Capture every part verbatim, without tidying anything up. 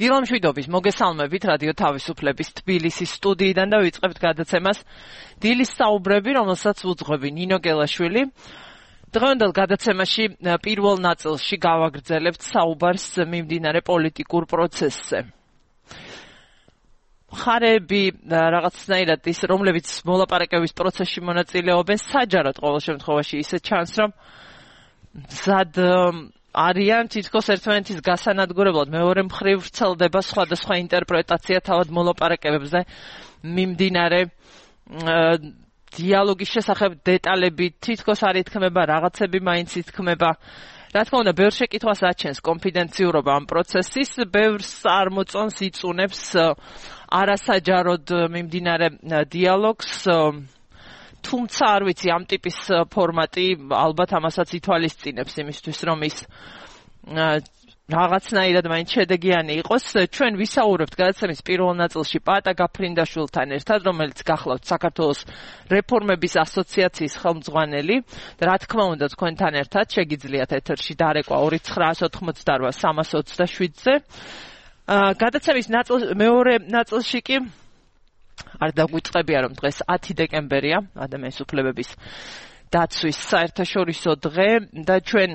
დილამშვიდობის მოგესალმებით რადიო თავისუფლების თბილისის სტუდიიდან და ვიწყებთ გადაცემას დილის საუბრები, რომელსაც უძღვები ნინო გელაშვილი. დღევანდელ გადაცემაში პირველ ნაწილში გავაგრძელებთ საუბარს მიმდინარე პოლიტიკურ პროცესზე. მხარეები რაღაცნაირად ის, რომლებიც მოლაპარაკების პროცესში მონაწილეობენ, საჯაროდ ყოველ შემთხვევაში ისე ჩანს, რომ მზად არიან თითქოს ერთმანეთის გასანადგურებლად, მეორე მხრივ ვრცელდება სხვადასხვა ინტერპრეტაცია თავად მოლაპარაკებებზე მიმდინარე დიალოგის შესახებ დეტალები თითქოს არ ითქმება, რაღაცები მაინც ითქმება. რა თქმა უნდა, ბევრ შეკითხვას აჩენს კონფიდენციურობა ამ პროცესის, ბევრს არ მოწონს, იწუნებს არასაჯაროდ მიმდინარე დიალოგს. თუმცა არ ვიცი, ამ ტიპის ფორმატი ალბათ ამასაც ითვალისწინებს იმისთვის, რომ ის რაღაცნაირად მაინც შედეგიანი იყოს. ჩვენ ვისაუბრებთ გადაცემის პირველ ნაწილში პაატა გაფრინდაშვილთან ერთად, რომელიც გახლავთ საქართველოს რეფორმების ასოციაციის ხელმძღვანელი და რა თქმა უნდა თქვენთან ერთად შეგიძლიათ ეთერში დარეკვა ორი ცხრაას ოთხმოცდარვა სამას ოცდაშვიდზე. გადაცემის ნაწილ მეორე ნაწილში კი არ დაგვიწყებია, რომ დღეს ათი დეკემბერია, ადამიანის უფლებების დაცვის საერთაშორისო დღე და ჩვენ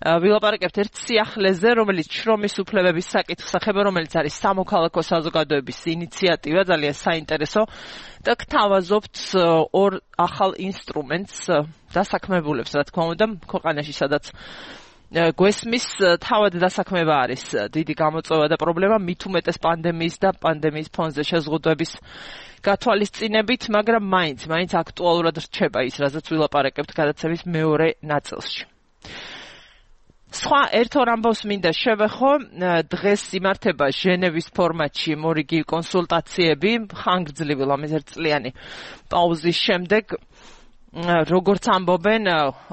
ვილაპარაკებთ ერთ სიახლეზე, რომელიც შრომის უფლებების საკითხს ეხება, რომელიც არის სამოქალაქო საზოგადოების ინიციატივა, ძალიან საინტერესო და გთავაზობთ ორ ახალ ინსტრუმენტს დასაქმებულებს, რა თქმა უნდა, ქვეყანაში, სადაც გვესმის თავად დასაქმება არის დიდი გამოწვევა და პრობლემა, მით უმეტეს პანდემიის და პანდემიის ფონზე შეზღუდვების გათვალისწინებით, მაგრამ მაინც, მაინც აქტუალურად რჩება ის, რაზეც ვილაპარაკებთ გადაცემის მეორე ნაწილში. სხვა ერთ ორ ამბავს მინდა შევეხო. დღეს იმართება ჟენევის ფორმატში მორიგი კონსულტაციები, ხანგრძლივი ლამაზერწლიანი პაუზის შემდეგ. როგორც ამბობენ,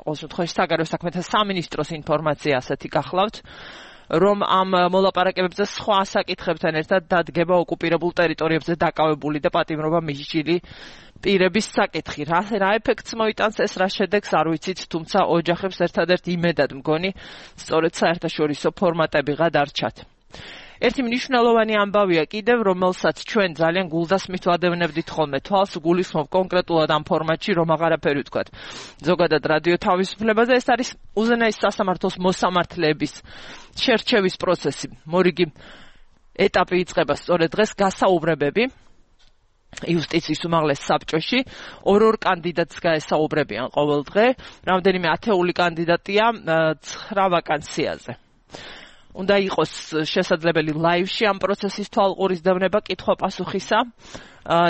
ყოველ შემთხვევაში საგარეო საქმეთა სამინისტროს ინფორმაცია ასეთი გახლავთ, რომ ამ მოლაპარაკებებზე სხვა საკითხებთან ერთად დადგება ოკუპირებულ ტერიტორიებზე დაკავებული და პატიმრობა მისჯილი პირების საკითხი. რა რა ეფექტს მოიტანს ეს, რა შედეგს არ ვიცით, თუმცა ოჯახებს ერთადერთ იმედად მგონი სწორედ საერთაშორისო ფორმატებიღა დარჩათ. ერთი მნიშვნელოვანი ამბავია კიდევ, რომელსაც ჩვენ ძალიან გულდასმით ვადევნებდით ხოლმე თვალს, გულისხმობ კონკრეტულად ამ ფორმატში, რომ აღარაფერი ვთქვათ. ზოგადად რადიო თავისუფლებაზე ეს არის უზენაეს სასამართლოს მოსამართლეების შერჩევის პროცესი. მორიგი ეტაპი იწყება სწორედ დღეს, გასაუბრებები იუსტიციის უმაღლეს საბჭოში. ორ-ორ კანდიდატს გაესაუბრებიან ყოველ დღე, რამდენიმე ათეული კანდიდატია ცხრა ვაკანსიაზე. უნდა იყოს შესაძლებელი ლაივში ამ პროცესის თვალყურისდევნება კითხვა-პასუხისა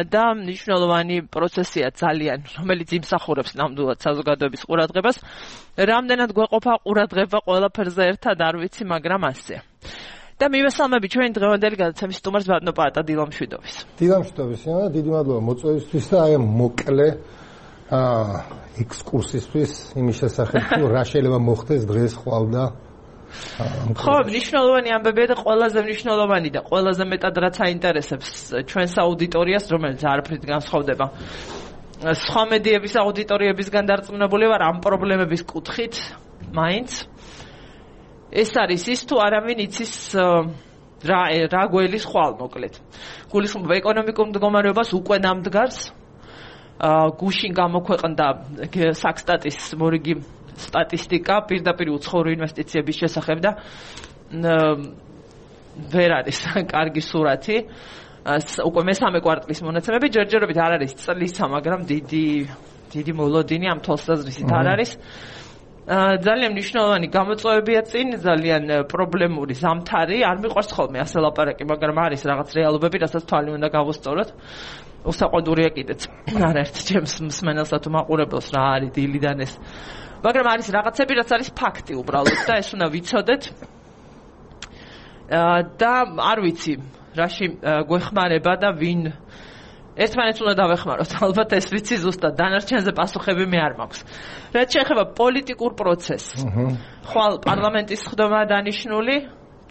და მნიშვნელოვანი პროცესია ძალიან, რომელიც იმსახურებს ნამდვილად საზოგადოების ყურადღებას. რამდენად გვეყოფა ყურადღება ყველაფერზე ერთად არ ვიცი, მაგრამ ასეა. და მივესალმები ჩვენ დღევანდელი გადაცემის სტუმარს ბატონო პაატა დილამშვიდობის. დილამშვიდობის, დიდი მადლობა მოწვევისთვის და აი მოკლე ექსკურსისთვის იმის შესახებ, თუ რა შეიძლება მოხდეს დღეს ხვალ-და. ხო, მნიშვნელოვანი ამბებია და ყველაზე მნიშვნელოვანი და ყველაზე მეტად რაც აინტერესებს ჩვენს აუდიტორიას, რომელიც არაფრით განსხვავდება სხვა მედიების აუდიტორიებისგან დარწმუნებული ვარ ამ პრობლემების კუთხით, მაინც ეს არის ის, თუ არავინ იცის რა რა გველის ხვალ, მოკლედ. გულისხმობ ეკონომიკურ მდგომარეობას უკვე ნამდგარს, გუშინ გამოქვეყნდა საქსტატის მორიგი სტატისტიკა პირდაპირ უცხოური ინვესტიციების შესახებ და ვერ არის კარგი სურათი. უკვე მესამე კვარტლის მონაცემები ჯერჯერობით არ არის წლისა, მაგრამ დიდი დიდი მოლოდინი ამ თვალსაზრისით არ არის. ძალიან მნიშვნელოვანი გამოწვევებია წინ, ძალიან პრობლემური ზამთარი, არ მიყვარს ხოლმე ასე ლაპარაკი, მაგრამ არის რაღაც რეალობები, რასაც თვალი უნდა გავუსწოროთ. უსაყვარლია კიდეც არაერთ ჩემს მსმენელსა თუ მაყურებელს რა არის დილიდან ეს. მაგრამ არის რაღაცები, რაც არის ფაქტი უბრალოდ და ეს უნდა ვიცოდეთ. და არ ვიცი, რაში გვეხმარება და ვინ ერთმანეთს უნდა დავეხმაროთ. ალბათ ეს ვიცი ზუსტად, დანარჩენზე პასუხები მე არ მაქვს. რაც შეეხება პოლიტიკურ პროცესს. ხვალ პარლამენტის ხდომა დანიშნული,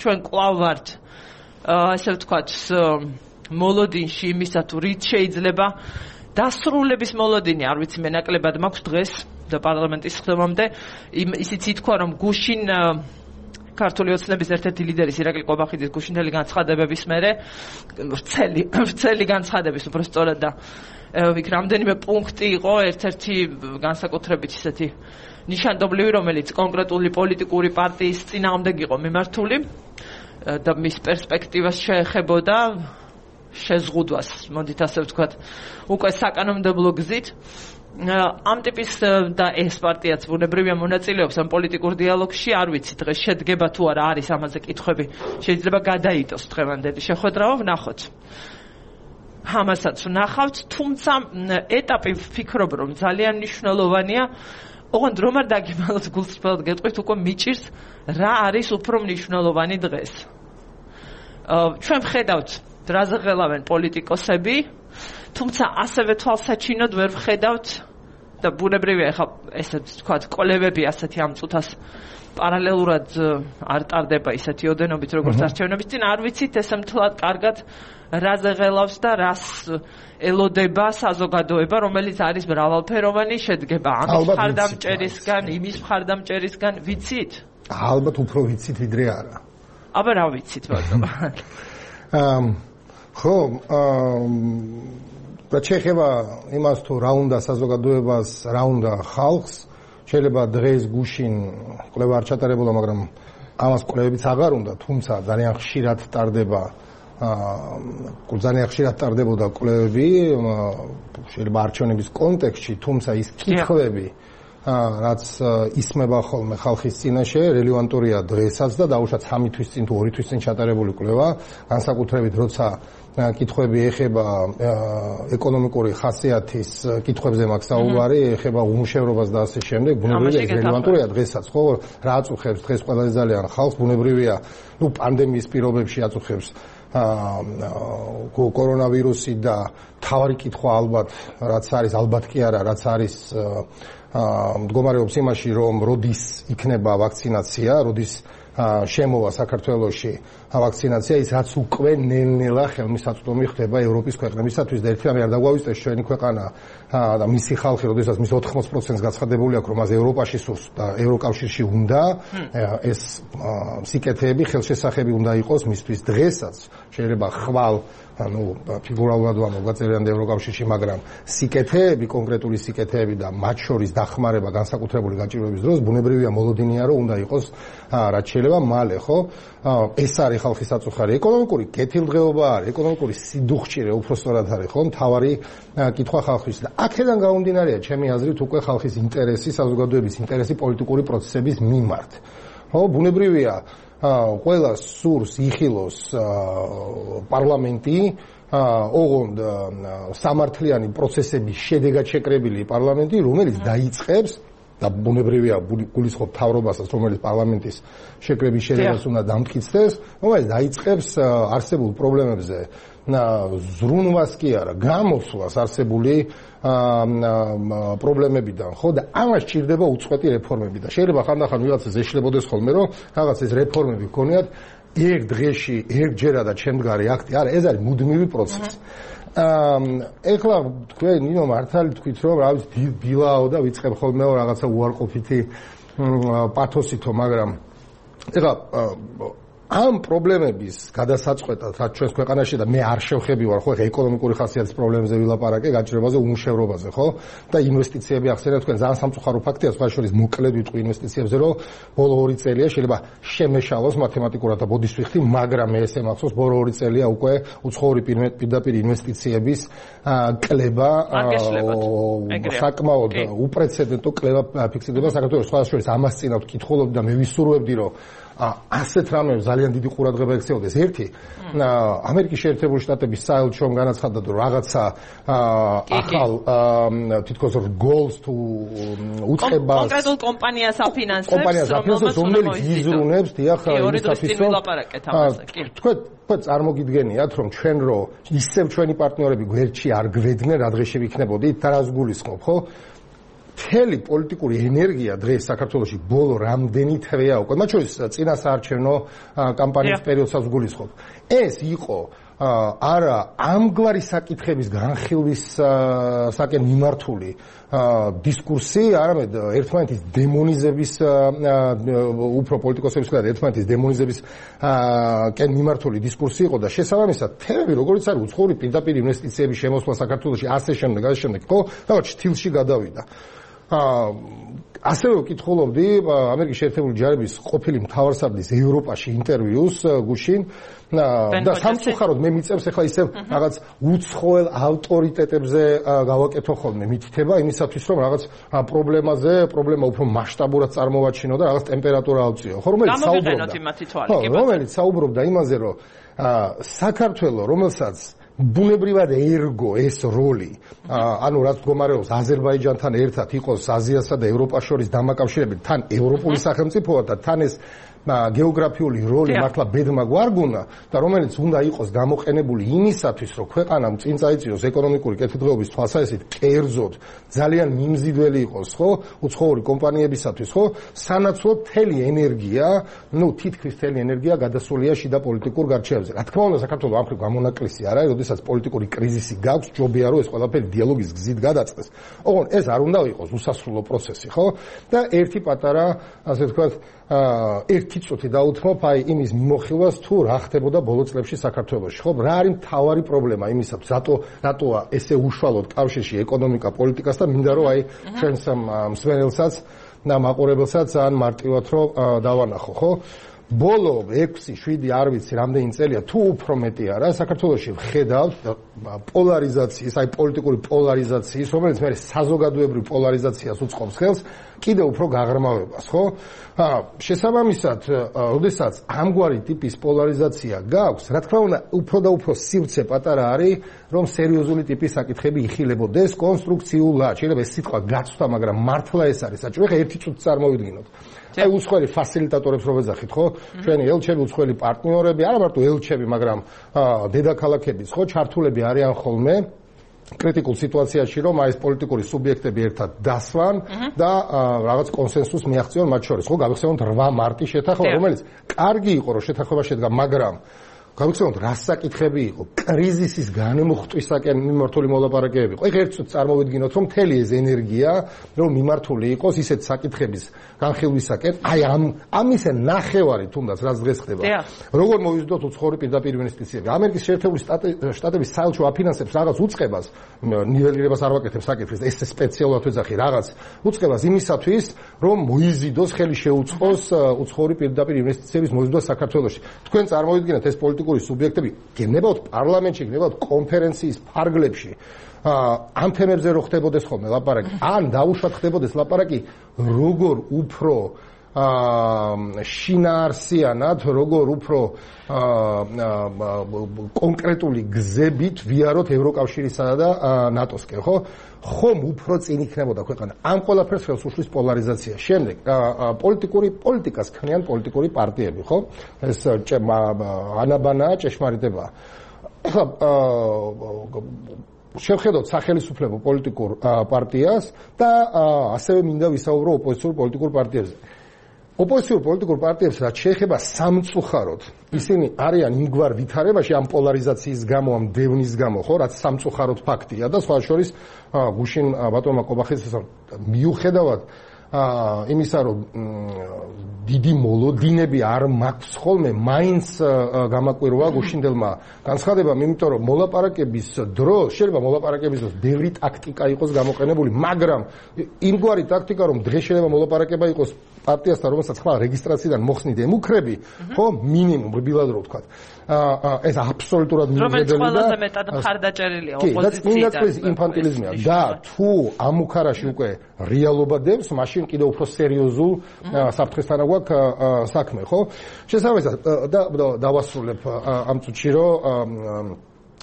ჩვენ კვლავ ვართ ასე ვთქვათ მოლოდინში იმისა თუ რით შეიძლება დასრულების მოლოდინი, არ ვიცი მე ნაკლებად მაქვს დღეს და პარლამენტის ხდომამდე ისიც ითქვა, რომ გუშინ ქართული ოცნების ერთ-ერთი ლიდერი ირაკლი ყობახიძის გუშინდელი განცხადებების მერე ვრცელი ვრცელი განცხადების უბრალოდ და იქ რამდენიმე პუნქტი იყო ერთ-ერთი განსაკუთრებით ისეთი ნიშანდობლივი, რომელიც კონკრეტული პოლიტიკური პარტიის წინააღმდეგ იყო მიმართული და მის პერსპექტივას შეეხებოდა შეზღუდვას, მოდით ასე ვთქვათ, უკვე საკანონმდებლო გზით. ამ ტიპის და ეს პარტიაც ბუნებრივია მონაწილეობს ამ პოლიტიკურ დიალოგში, არ ვიცი დღეს შედგება თუ არა არის ამაზე კითხვები, შეიძლება გადაიტოს დღევანდელი შეხვედრა, ვნახოთ. ამასაც ვნახავთ, თუმცა ეტაპი ვფიქრობ, რომ ძალიან მნიშვნელოვანია. ოღონდ რომ არ დაგიმალოთ გულწრფელად გეტყვით, უკვე მიჭირს რა არის უფრო მნიშვნელოვანი დღეს. ჩვენ ვხედავთ დრაზე ღელავენ პოლიტიკოსები, თუმცა ასევე თვალსაჩინოდ ვერ ვხედავთ და ბუნებრივია ახლა ესე ვთქვათ კოლევები ასეთი ამ წუთას პარალელურად არ ტარდება ისეთი ოდენობით როგორც არჩევნების წინ, არ ვიცით ესე მთლად კარგად რაზე ღელავს და რას ელოდება საზოგადოება, რომელიც არის მრავალფეროვანი, შედგება ამის მხარდამჭერისგან, იმის მხარდამჭერისგან, ვიცით? ალბათ უფრო ვიცით ვიდრე არა. აბა რა ვიცით ბატონო? ხო, და შეეხება იმას თუ რა უნდა საზოგადოებას, რა უნდა ხალხს, შეიძლება დღეს გუშინ კვლევა არ ჩატარებულა, მაგრამ ამას კვლევებიც აღარ უნდა, თუმცა ძალიან ხშირად ტარდება აა ძალიან ხშირად ტარდებოდა კვლევები, შეიძლება არჩევნების კონტექსტში, თუმცა ის კითხვები, რაც ისმება ხოლმე ხალხის წინაშე, რელევანტურია დღესაც და დაუშვათ სამი თვის წინ თუ ორი თვის წინ ჩატარებული კვლევა, განსაკუთრებით როცა კითხვები ეხება ეკონომიკური ხასიათის კითხვებზე მაქვს საუბარი, ეხება უმუშევრობას და ასე შემდეგ, ბუნებრივია ეს რელევანტურია დღესაც, ხო, რა აწუხებს დღეს ყველაზე ძალიან ხალხს, ბუნებრივია, ნუ პანდემიის პირობებში აწუხებს კორონავირუსი და თავარი კითხვა ალბათ, რაც არის, ალბათ კი არა, რაც არის მდგომარეობს იმაში, რომ როდის იქნება ვაქცინაცია, როდის შემოვა საქართველოში ვაქცინაცია, ის რაც უკვე ნელ-ნელა ხელმისაწვდომი ხდება ევროპის ქვეყნებისათვის და ერთი რამე არ დაგვავიწყდეს ჩვენი ქვეყანა და მისი ხალხი, როდესაც მის ოთხმოცდ პროცენტს გაცხადებული აქვს, რომ მას ევროპაში სურს და ევროკავშირში უნდა, ეს სიკეთეები, ხელშესახები უნდა იყოს მისთვის დღესაც, შეიძლება ხვალ ანუ ფიგურალურად ვამბობ გაწერიანდა ევროკავშირში, მაგრამ სიკეთეები, კონკრეტული სიკეთეები და მათ შორის დახმარება განსაკუთრებული გაჭირვების დროს ბუნებრივია მოლოდინია, რომ უნდა იყოს რაც შეიძლება მალე, ხო? ეს არის ხალხის აწუხარი. ეკონომიკური კეთილდღეობა არის, ეკონომიკური სიდუხჭირე უფრო სწორად არის, ხო? მთავარი კითხვა ხალხის და აქედან გამომდინარეა ჩემი აზრით უკვე ხალხის ინტერესი, საზოგადოების ინტერესი პოლიტიკური პროცესების მიმართ. ხო, ბუნებრივია ყველა სურს იხილოს პარლამენტი, ოღონდ სამართლიანი პროცესების შედეგად შეკრებილი პარლამენტი, რომელიც დაიწყებს და ბუნებრივია გულისხმობ მთავრობასაც, რომელიც პარლამენტის შეკრების შედეგად უნდა დამტკიცდეს, რომელიც დაიწყებს არსებულ პრობლემებზე ზრუნვას კი არა, გამოსვლას არსებული პრობლემებიდან, ხო და ამას ჭირდება უწყვეტი რეფორმები და შეიძლება ხანდახან ვიღაცას ეშლებოდეს ხოლმე, რომ რაღაც ეს რეფორმები გქონიათ ერთ დღეში, ერთჯერადად შემდგარი აქტი, არა, ეს არის მუდმივი პროცესი. ეხლა თქვენ ნინო მართალი თქვით, რომ რა ვიცი დილაო და ვიწყებ ხოლმე რაღაცა უარყოფითი პათოსითო, მაგრამ ეხლა ამ პრობლემების გადასაწყვეტად რაც ჩვენს ქვეყანაში და მე არ შევხები ვარ, ხო, ეკონომიკური ხასიათის პრობლემებზე ვილაპარაკე, გაჭირვებაზე, უმუშევრობაზე, ხო? და ინვესტიციები ახსენეთ თქვენ, ძალიან სამწუხარო ფაქტია, სხვა შორის მოკლედ ვიტყვი ინვესტიციებზე, რომ ბოლო ორი წელია შეიძლება შემეშალოს მათემატიკურად და ბოდის ვიხდი, მაგრამ მე ესე მახსოვს, ბოლო ორი წელია უკვე უცხოური პირდაპირ ინვესტიციების კლება, საკმაოდ უპრეცედენტო კლება ფიქსირდება საქართველოს. სხვა შორის ამას წინავთ კითხულობდი და მე ვისურვებდი, რომ ასეთ რამებს ძალიან დიდი ყურადღება ექცეოდეს. ერთი, ამერიკის შეერთებული შტატების საელჩომ განაცხადა, რომ რაღაცა ახალ თითქოს გოლს თუ უწყებას კონკრეტულ კომპანიას აფინანსებს, კომპანიას აფინანსებს, რომელიც იზრუნებს დიახ თქვენ თქვენ წარმოგიდგენიათ, რომ ჩვენ რო ისევ ჩვენი პარტნიორები გვერდში არ გვედგნენ, რა დღეში ვიქნებოდით და რას გულისხმობ, ხო? მთელი პოლიტიკური ენერგია დღეს საქართველოში ბოლო რამდენი თვეა უკვე, მათ შორის წინა საარჩევნო კამპანიის პერიოდსაც გულისხმობ. ეს იყო არა ამგვარი საკითხების განხილვის საკენ მიმართული დისკურსი, არამედ ერთმანეთის დემონიზების უფრო პოლიტიკოსების და ერთმანეთის დემონიზების კენ მიმართული დისკურსი იყო და შესაბამისად თემები როგორც არის უცხოური პირდაპირ ინვესტიციების შემოსვლა საქართველოში ასე შემდეგ ასე შემდეგ ხო რაღაც შთილში გადავიდა. ასევე ვკითხულობდი ამერიკის შეერთებული ჯარების ყოფილი მთავარსარდლის ევროპაში ინტერვიუს გუშინ და სამწუხაროდ მე მიწევს ახლა ისევ რაღაც უცხოელ ავტორიტეტებზე გავაკეთო ხოლმე მითითება იმისათვის რომ რაღაც პრობლემაზე პრობლემა უფრო მასშტაბურად წარმოვაჩინო და რაღაც ტემპერატურა ავწიო ხო რომელიც საუბრობდა რომელიც საუბრობდა იმაზე რომ საქართველოს რომელსაც ბუნებრივად ერგო ეს როლი ანუ რაც მდგომარეობს აზერბაიჯანთან ერთად იყოს აზიასა და ევროპას შორის დამაკავშირებით თან ევროპული სახელმწიფოა და თან ეს გეოგრაფიული როლი მართლა ბედმა გვარგუნა და რომელიც უნდა იყოს გამოყენებული იმისათვის რომ ქვეყანამ წინ წაიწიოს ეკონომიკური კეთილდღეობის თვალსაზრისით კერძოდ ძალიან მიმზიდველი იყოს ხო უცხოური კომპანიებისათვის ხო სანაცვლოდ მთელი ენერგია ნუ თითქმის მთელი ენერგია გადასულია შიდა პოლიტიკურ გარჩევებზე რა თქმა უნდა საქართველოს ამ ხრივ გამონაკლისი არ არის როდესაც პოლიტიკური კრიზისი გაქვს ჯობია რომ ეს ყველაფერი დიალოგის გზით გადაწყდეს ოღონ ეს არ უნდა იყოს უსასრულო პროცესი ხო და ერთი პატარა ასე ვთქვათ ერთი წუთი დაუთმობ აი იმის მიმოხილვას თუ რა ხდებოდა ბოლო წლებში საქართველოში ხო რა არის მთავარი პრობლემა იმისათვის რატო რატოა ესე უშუალოდ კავშირში ეკონომიკა პოლიტიკასთან მინდა რომ აი ჩვენს მსმენელსაც და მაყურებელსაც ძალიან მარტივად რომ დავანახო ხო ბოლო ექვსი შვიდი არ ვიცი რამდენი წელია თუ უფრო მეტი არა საქართველოში ვხედავთ პოლარიზაციის აი პოლიტიკური პოლარიზაციის რომელიც მე საზოგადოებრივ პოლარიზაციას უწყობს ხელს კიდევ უფრო გაღრმავებას ხო შესაბამისად როდესაც ამგვარი ტიპის პოლარიზაცია გაქვს რა თქმა უნდა უფრო და უფრო სივრცე პატარა არის რომ სერიოზული ტიპის საკითხები იხილებოდეს კონსტრუქციულად შეიძლება ეს სიტყვა გაცვლა მაგრამ მართლა ეს არის საჭირო ხა ერთი წუთი წარმოვიდგინოთ აი უცხოელი ფასილიტატორებს რო ვეძახით ხო ჩვენი ელჩები უცხოელი პარტნიორები არა მარტო ელჩები მაგრამ დედაქალაქების ხო ჩართულები არიან ხოლმე კრიტიკულ სიტუაციაში რომ აი ეს პოლიტიკური სუბიექტები ერთად დასვან და რაღაც კონსენსუსს მიაღწიონ მათ შორის ხო გავიხსენოთ რვა მარტი შეთანხმება რომელიც კარგი იყო რომ შეთანხმება შედგა მაგრამ გავიხსენოთ რა საკითხები იყო კრიზისის განმოხტვისაკენ მიმართული მოლაპარაკებები იყო ეხლა ერთ წუთს წარმოვიდგინოთ რომ მთელი ეს ენერგია რომ მიმართული იყოს ისეთ საკითხების განხილვისაკენ აი ამ ამისე ნახევარი თუნდაც რაც დღეს ხდება როგორ მოვიზრდოთ უცხოური პირდაპირ ინვესტიციები ამერიკის შეერთებული შტატების საელჩო აფინანსებს რაღაც უწყებას ნიველირებას არ ვაკეთებ საკითხს ეს სპეციალურად ვეძახი რაღაც უწყებას იმისათვის რომ მოიზიდოს ხელი შეუწყოს უცხოური პირდაპირ ინვესტიციების მოზიდვა საქართველოში თქვენ წარმოვიდგინეთ ეს პოლიტიკა სუბიექტები გენებავთ პარლამენტში, გენებავთ კონფერენციის ფარგლებში. ამ თემებზე რო ხდებოდეს ხოლმე ლაპარაკი, ან დაუშვათ ხდებოდეს ლაპარაკი, როგორ უფრო შინაარსიანად, როგორ უფრო კონკრეტული გზებით ვიაროთ ევროკავშირისა და ნატოსკენ, ხო? ხომ უფრო წინ იქნებოდა ქვეყანა. ამ ყველაფერს ხელს უშლის პოლარიზაცია. შემდეგ პოლიტიკური პოლიტიკას ქმნიან პოლიტიკური პარტიები, ხო? ეს ანაბანაა, ჭეშმარიტებაა. ახლა შევხედოთ სახელმწიფო პოლიტიკურ პარტიას და ასევე მინდა ვისაუბრო ოპოზიციურ პოლიტიკურ პარტიებზე. ოპოზიციურ პოლიტიკურ პარტიებს რაც შეეხება სამწუხაროდ ისინი არიან იმგვარ ვითარებაში ამ პოლარიზაციის გამო, ამ დევნის გამო, ხო, რაც სამწუხაროდ ფაქტია და სხვა შორის გუშინ ბატონმა კობახიძეს მიუხედავად იმისა რომ დიდი მოლოდინები არ მაქვს ხოლმე მაინც გამაკვირვა გუშინდელმა განცხადებამ იმიტომ რომ მოლაპარაკების დროს შეიძლება მოლაპარაკების დროს ბევრი ტაქტიკა იყოს გამოყენებული მაგრამ იმგვარი ტაქტიკა რომ დღეს შეიძლება მოლაპარაკება იყოს პარტიასთან რომელსაც ხვალ რეგისტრაციიდან მოხსნით ემუქრები ხო მინიმუმ რბილად რო ვთქვათ ეს აბსოლუტურად მიუხედავია რომელიც ყველაზე მეტად მხარდაჭერილია ოპოზიციიდან ინფანტილიზმია და თუ ამ უქარაში უკვე რეალობა დევს მაშინ კიდევ უფრო სერიოზულ საფრთხესთან გვაქვს საქმე ხო შესაბამისად და დავასრულებ ამ წუთში რომ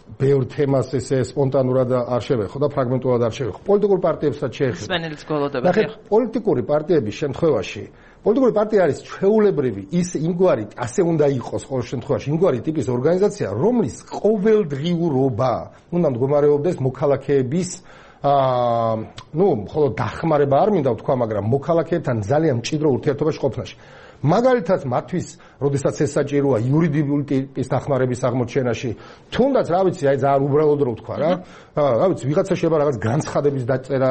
ბევრ თემას ესე სპონტანურად არ შევეხო და ფრაგმენტულად არ შევეხო. პოლიტიკურ პარტიებსაც შეეხება. სპენელის გოლოდებია. პოლიტიკური პარტიების შემთხვევაში პოლიტიკური პარტია არის ჩვეულებრივი ის იმგვარი ასე უნდა იყოს ყოველ შემთხვევაში იმგვარი ტიპის ორგანიზაცია, რომლის ყოველდღიურობა უნდა მდგომარეობდეს მოქალაქეების აა ნუ მხოლოდ დახმარება არ მინდა ვთქვა, მაგრამ მოქალაქეებთან ძალიან მჭიდრო ურთიერთობაში ყოფნაში. მაგალითად მათთვის როდესაც ეს საჭიროა იურიდიული ტიპის დახმარების აღმოჩენაში თუნდაც რა ვიცი აი ძალიან უბრალოდ რო ვთქვა რა რა ვიცი ვიღაცა შეიძლება რაღაც განცხადების დაწერა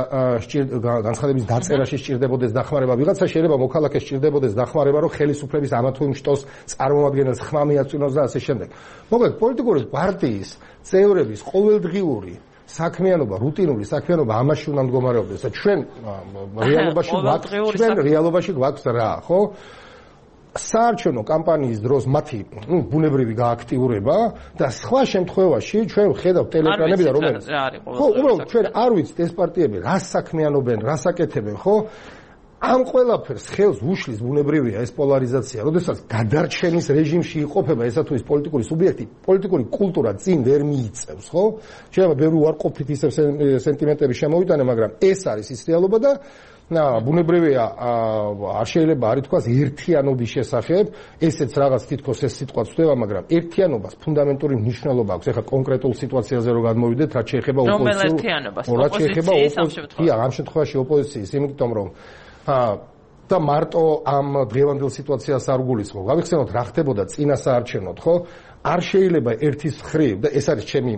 განცხადების დაწერაში სჭირდებოდეს დახმარება ვიღაცა შეიძლება მოქალაქეს სჭირდებოდეს დახმარება რომ ხელისუფლების ამა თუ იმ შტოს წარმომადგენელს ხმა მიაწვინოს და ასე შემდეგ მოკლედ პოლიტიკური პარტიის წევრების ყოველდღიური საქმიანობა, რუტინული საქმიანობა ამაში უნდა მდგომარეობდეს და ჩვენ რეალობაში გვაქვს ჩვენ რეალობაში გვაქვს რა, ხო? საარჩევნო კამპანიის დროს მათი, ნუ, ბუნებრივი გააქტიურება და სხვა შემთხვევაში ჩვენ ვხედავთ ტელეეკრანები და რომელიც ხო, უბრალოდ ჩვენ არ ვიცით ეს პარტიები რა საქმიანობენ, რა საკეთებენ, ხო? ამ ყველაფერს ხელს უშლის ბუნებრივია ეს პოლარიზაცია, როდესაც გადარჩენის რეჟიმში იყოფება ესა თუ ის პოლიტიკური სუბიექტი, პოლიტიკური კულტურა წინ ვერ მიიწევს, ხო? შეიძლება ბევრი უარყოფით ისევ სენტიმენტები შემოვიტანე, მაგრამ ეს არის ის რეალობა და ბუნებრივია არ შეიძლება არ ითქვას ერთიანობის შესახებ, ესეც რაღაც თითქოს ეს სიტყვა ვწდება, მაგრამ ერთიანობას ფუნდამენტური მნიშვნელობა აქვს. ეხლა კონკრეტულ სიტუაციაზე რო გადმოვიდეთ, რაც შეეხება ოპოზიციას, რაც შეეხება ოპოზიციას, ამ შემთხვევაში ოპოზიციის, იმიტომ რომ და მარტო ამ დღევანდელ სიტუაციას არ გულისხმობ. გავიხსენოთ რა ხდებოდა წინა საარჩევნოდ, ხო? არ შეიძლება ერთის მხრივ და ეს არის ჩემი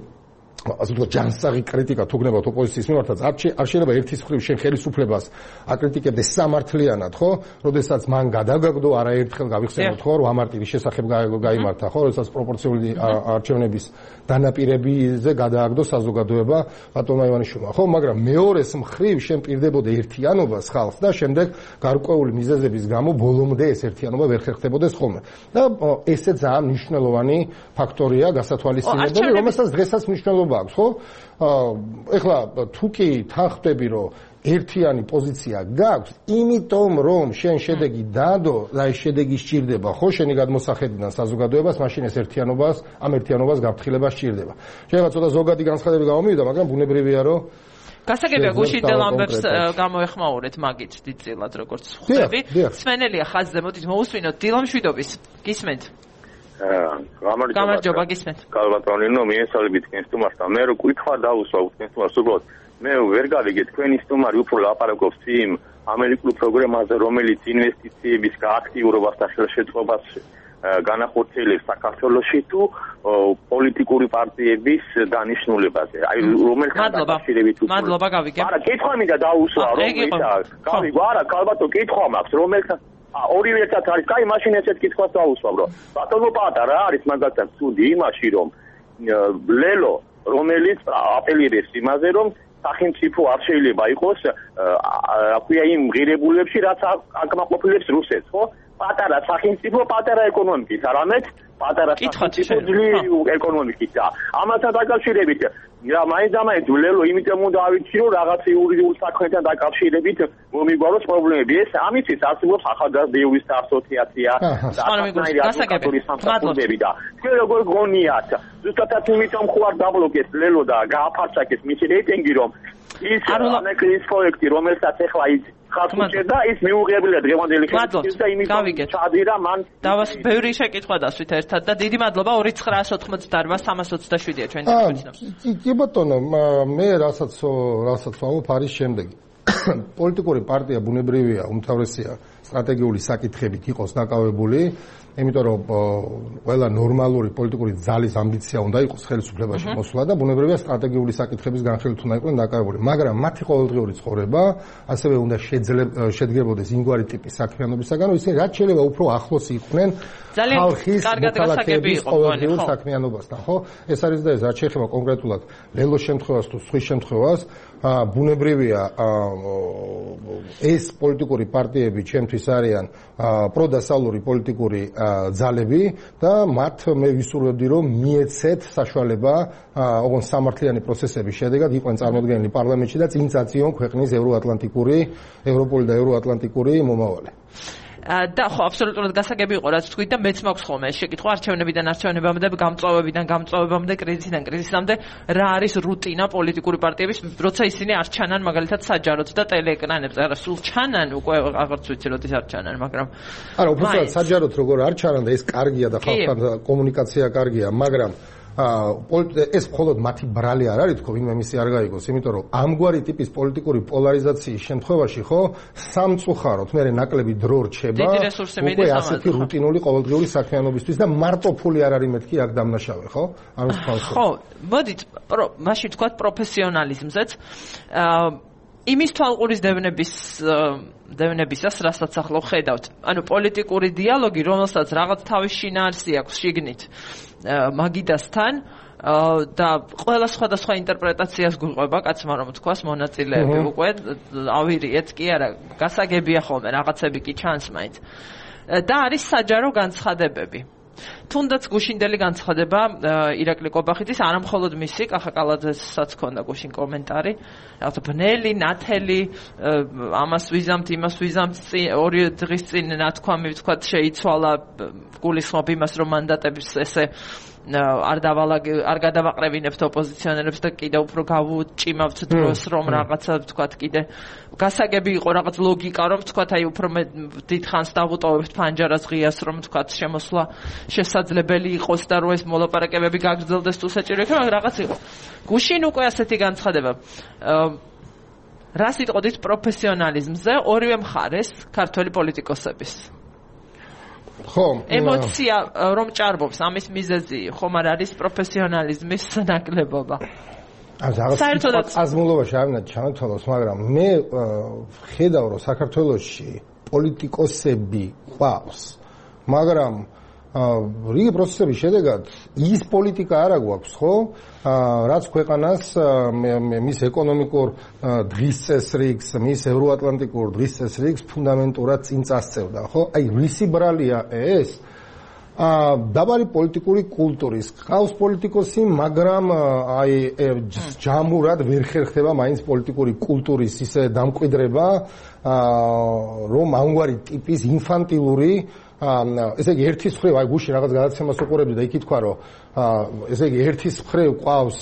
ასე ვთქვათ ჯანსაღი კრიტიკა თუ გნებავთ ოპოზიციის მიმართაც არ შეიძლება ერთის მხრივ შენ ხელისუფლებას აკრიტიკებდეს სამართლიანად, ხო? როდესაც მან გადაგაგდო არაერთხელ გავიხსენოთ, ხო, რომ ამარტივის შესახებ გაიმართა, ხო, როდესაც პროპორციული არჩევნების დანაპირებიზე გადააგდო საზოგადოება ბატონმა ივანიშვილმა, ხო, მაგრამ მეორეს მხრივ შენ პირდებოდა ერთიანობას ხალხს და შემდეგ გარკვეული მიზეზების გამო ბოლომდე ეს ერთიანობა ვერ ხერხდებოდეს ხოლმე. და ესე ძალიან მნიშვნელოვანი ფაქტორია გასათვალისწინებელი, რომელსაც დღესაც მნიშვნელობა აქვს, ხო? ეხლა თუ კი თანხმდები, რომ ერთიანი პოზიცია გაქვს, იმიტომ რომ შენ შედეგი დადო და ეს შედეგი სჭირდება, ხო, შენი გადმოსახედიდან საზოგადოებას, მაშინ ეს ერთიანობას, ამ ერთიანობას გაფრთხილება სჭირდება. შეიძლება ცოტა ზოგადი განცხადები გამომივიდა, მაგრამ ბუნებრივია, რომ გასაგებია გუშინდელ ამბებს გამოეხმაურეთ მაგით დიდწილად როგორც ხვდები. სმენელია ხაზზე, მოდით მოусვინოთ დილამშვიდობის. გისმენთ? გამარჯობა, გისმენთ. კალბატონინო, მიესალმებით თქვენს სტუმარს და მე რო კითხვა დაუსვა თქვენს სტუმარს უბრალოდ მე ვერ გავიგე თქვენი სტუმარი უფრო ლაპარაკობს იმ ამერიკულ პროგრამაზე, რომელიც ინვესტიციების გააქტიურებას და ხელშეწყობას განახორციელებს საქართველოში თუ პოლიტიკური პარტიების დანიშნულებაზე. აი რომელთან დაკავშირებით უფრო. მადლობა, გავიგე. არა, კითხვა მინდა დაუსვა, რომელთან. გავიგო, არა, კალბატო კითხვა მაქვს, რომელთან ორივე ერთად არის. კაი, მაშინ ესეთ კითხვას დაუსვავ, რომ ბატონო პატარა არის მაგალითად ცუდი იმაში, რომ ლელო, რომელიც აპელირებს იმაზე, რომ სახელმწიფო არ შეიძლება იყოს აქვია იმ ღირებულებებში, რაც აკმაყოფილებს რუსეთს, ხო? პატარა სახელმწიფო, პატარა ეკონომიკით, არამედ პატარა სახელმწიფო ძლიერი ეკონომიკით და ამასთან დაკავშირებით რა მაინც-ამაინც ვლელო იმიტომ უნდა ავიცი, რომ რაღაც იურიდიულ საქმეთან დაკავშირებით მომიგვაროს პრობლემები. ეს ამისთვის არსებობს ახალგაზრდა იურისტთა ასოციაცია და ახალგაზრდა ადვოკატური სამსახურები და თქვენ როგორ გონიათ, ზუსტად იმიტომ ხوار დაბლოკეს ლელო და გააფარჩაკეს მისი რეიტინგი, რომ ის ამერიკის პროექტი, რომელსაც ეხლა ის ხალხუჭერდა, ის მიუღებელია დღევანდელი ხელისუფლების და იმიტომ ჩადირა მან დავას ბევრი შეკითხვა დასვით ერთად და დიდი მადლობა ორი ცხრაას ოთხმოცდაოთხ სამას ოცდაშვიდია ჩვენი თვითონ. კი ბატონო, მე რასაც რასაც ვამბობ არის შემდეგი. პოლიტიკური პარტია ბუნებრივია, უმთავრესია სტრატეგიული საკითხებით იყოს დაკავებული, იმიტომ რომ ყველა ნორმალური პოლიტიკური ძალის ამბიცია უნდა იყოს ხელისუფლებაში მოსვლა და ბუნებრივია სტრატეგიული საკითხების განხილვით უნდა იყვნენ დაკავებული, მაგრამ მათი ყოველდღიური ცხოვრება ასევე უნდა შედგებოდეს იმგვარი ტიპის საქმიანობისაგან, რომ ისინი რაც შეიძლება უფრო ახლოს იყვნენ ხალხის მოქალაქეების ყოველდღიურ საქმიანობასთან, ხო? ეს არის და ეს რაც შეეხება კონკრეტულად ლელოს შემთხვევას თუ სხვის შემთხვევას, ბუნებრივია ეს პოლიტიკური პარტიები ჩემთვის არიან პროდასალური პოლიტიკური ძალები და მათ მე ვისურვებდი რომ მიეცეთ საშუალება ოღონდ სამართლიანი პროცესების შედეგად იყვნენ წარმოდგენილი პარლამენტში და წინ წაწიონ ქვეყნის ევროატლანტიკური, ევროპული და ევროატლანტიკური მომავალი. და ხო აბსოლუტურად გასაგები იყო რაც თქვით და მეც მაქვს ხოლმე ეს შეკითხვა არჩევნებიდან არჩევნებამდე, გამწვავებიდან გამწვავებამდე, კრიზისიდან კრიზისამდე რა არის რუტინა პოლიტიკური პარტიების, როცა ისინი არ ჩანან მაგალითად საჯაროდ და ტელეეკრანებზე. არა, სულ ჩანან უკვე აღარც ვიცი როდის არ ჩანან, მაგრამ არა, უბრალოდ საჯაროდ როგორ არ ჩანან და ეს კარგია და ხალხთან კომუნიკაცია კარგია, მაგრამ ეს მხოლოდ მათი ბრალი არ არის თქო, ვინმე მისი არ გაიგოს, იმიტომ რომ ამგვარი ტიპის პოლიტიკური პოლარიზაციის შემთხვევაში ხო სამწუხაროდ მე ნაკლები დრო რჩება უკვე ასეთი რუტინული ყოველდღიური საქმიანობისთვის და მარტო ფული არ არის მეთქი აქ დამნაშავე, ხო? ამის თვალს. ხო, მოდით, მაშინ თქვათ პროფესიონალიზმზეც. იმის თვალყურის დევნების დევნებისას, რასაც ახლა ხედავთ. ანუ პოლიტიკური დიალოგი, რომელსაც რაღაც თავის შინაარსი აქვს შიგნით მაგიდასთან და ყველა სხვადასხვა ინტერპრეტაციას გვიყვება, კაცმა რომ თქვას მონაწილეები უკვე ავირიეთ კი არა, გასაგებია ხოლმე რაღაცები კი ჩანს მაინც. და არის საჯარო განცხადებები. თუნდაც გუშინდელი განცხადება ირაკლი კობახიძის, არა მხოლოდ მისი, კახა კალაძესაც ჰქონდა გუშინ კომენტარი, რაღაცა ბნელი, ნათელი, ამას ვიზამთ, იმას ვიზამთ, ორი დღის წინ ნათქვამი ვთქვათ შეიცვალა, გულისხმობ იმას, რომ მანდატებს ესე არ დავალაგ არ გადავაყრევინებთ ოპოზიციონერებს და კიდე უფრო გავუჭიმავთ დროს, რომ რაღაცა ვთქვათ კიდე გასაგები იყო რაღაც ლოგიკა, რომ ვთქვათ აი უფრო დიდხანს დავუტოვებთ ფანჯარას ღიას, რომ ვთქვათ შემოსვლა შესაძლებელი იყოს და რომ ეს მოლაპარაკებები გაგრძელდეს თუ საჭირო იქნება, მაგრამ რაღაც იყო. გუშინ უკვე ასეთი განცხადება. რა სიტყვით პროფესიონალიზმზე ორივე მხარეს ქართველი პოლიტიკოსების. ხო, ემოცია რომ ჭარბობს ამის მიზეზი ხომ არ არის პროფესიონალიზმის ნაკლებობა. საერთოდ აზმულობაში არ უნდა ჩანათვალოს, მაგრამ მე ხედავ რომ საქართველოში პოლიტიკოსები ყავს, მაგრამ რიგი პროცესების შედეგად ის პოლიტიკა არ აგვაქვს, ხო? რაც ქვეყანას მის ეკონომიკურ დღის წესრიგს, მის ევროატლანტიკურ დღის წესრიგს ფუნდამენტურად წინ წასწევდა, ხო? აი რისი ბრალია ეს? დაბალი პოლიტიკური კულტურის ყავს პოლიტიკოსი, მაგრამ აი ჯამურად ვერ ხერხდება მაინც პოლიტიკური კულტურის ისე დამკვიდრება, რომ ამგვარი ტიპის ინფანტილური ესე იგი ერთის მხრივ აი გუშინ რაღაც გადაცემას უყურებდი და იქ ითქვა რომ ესე იგი ერთის მხრივ ყავს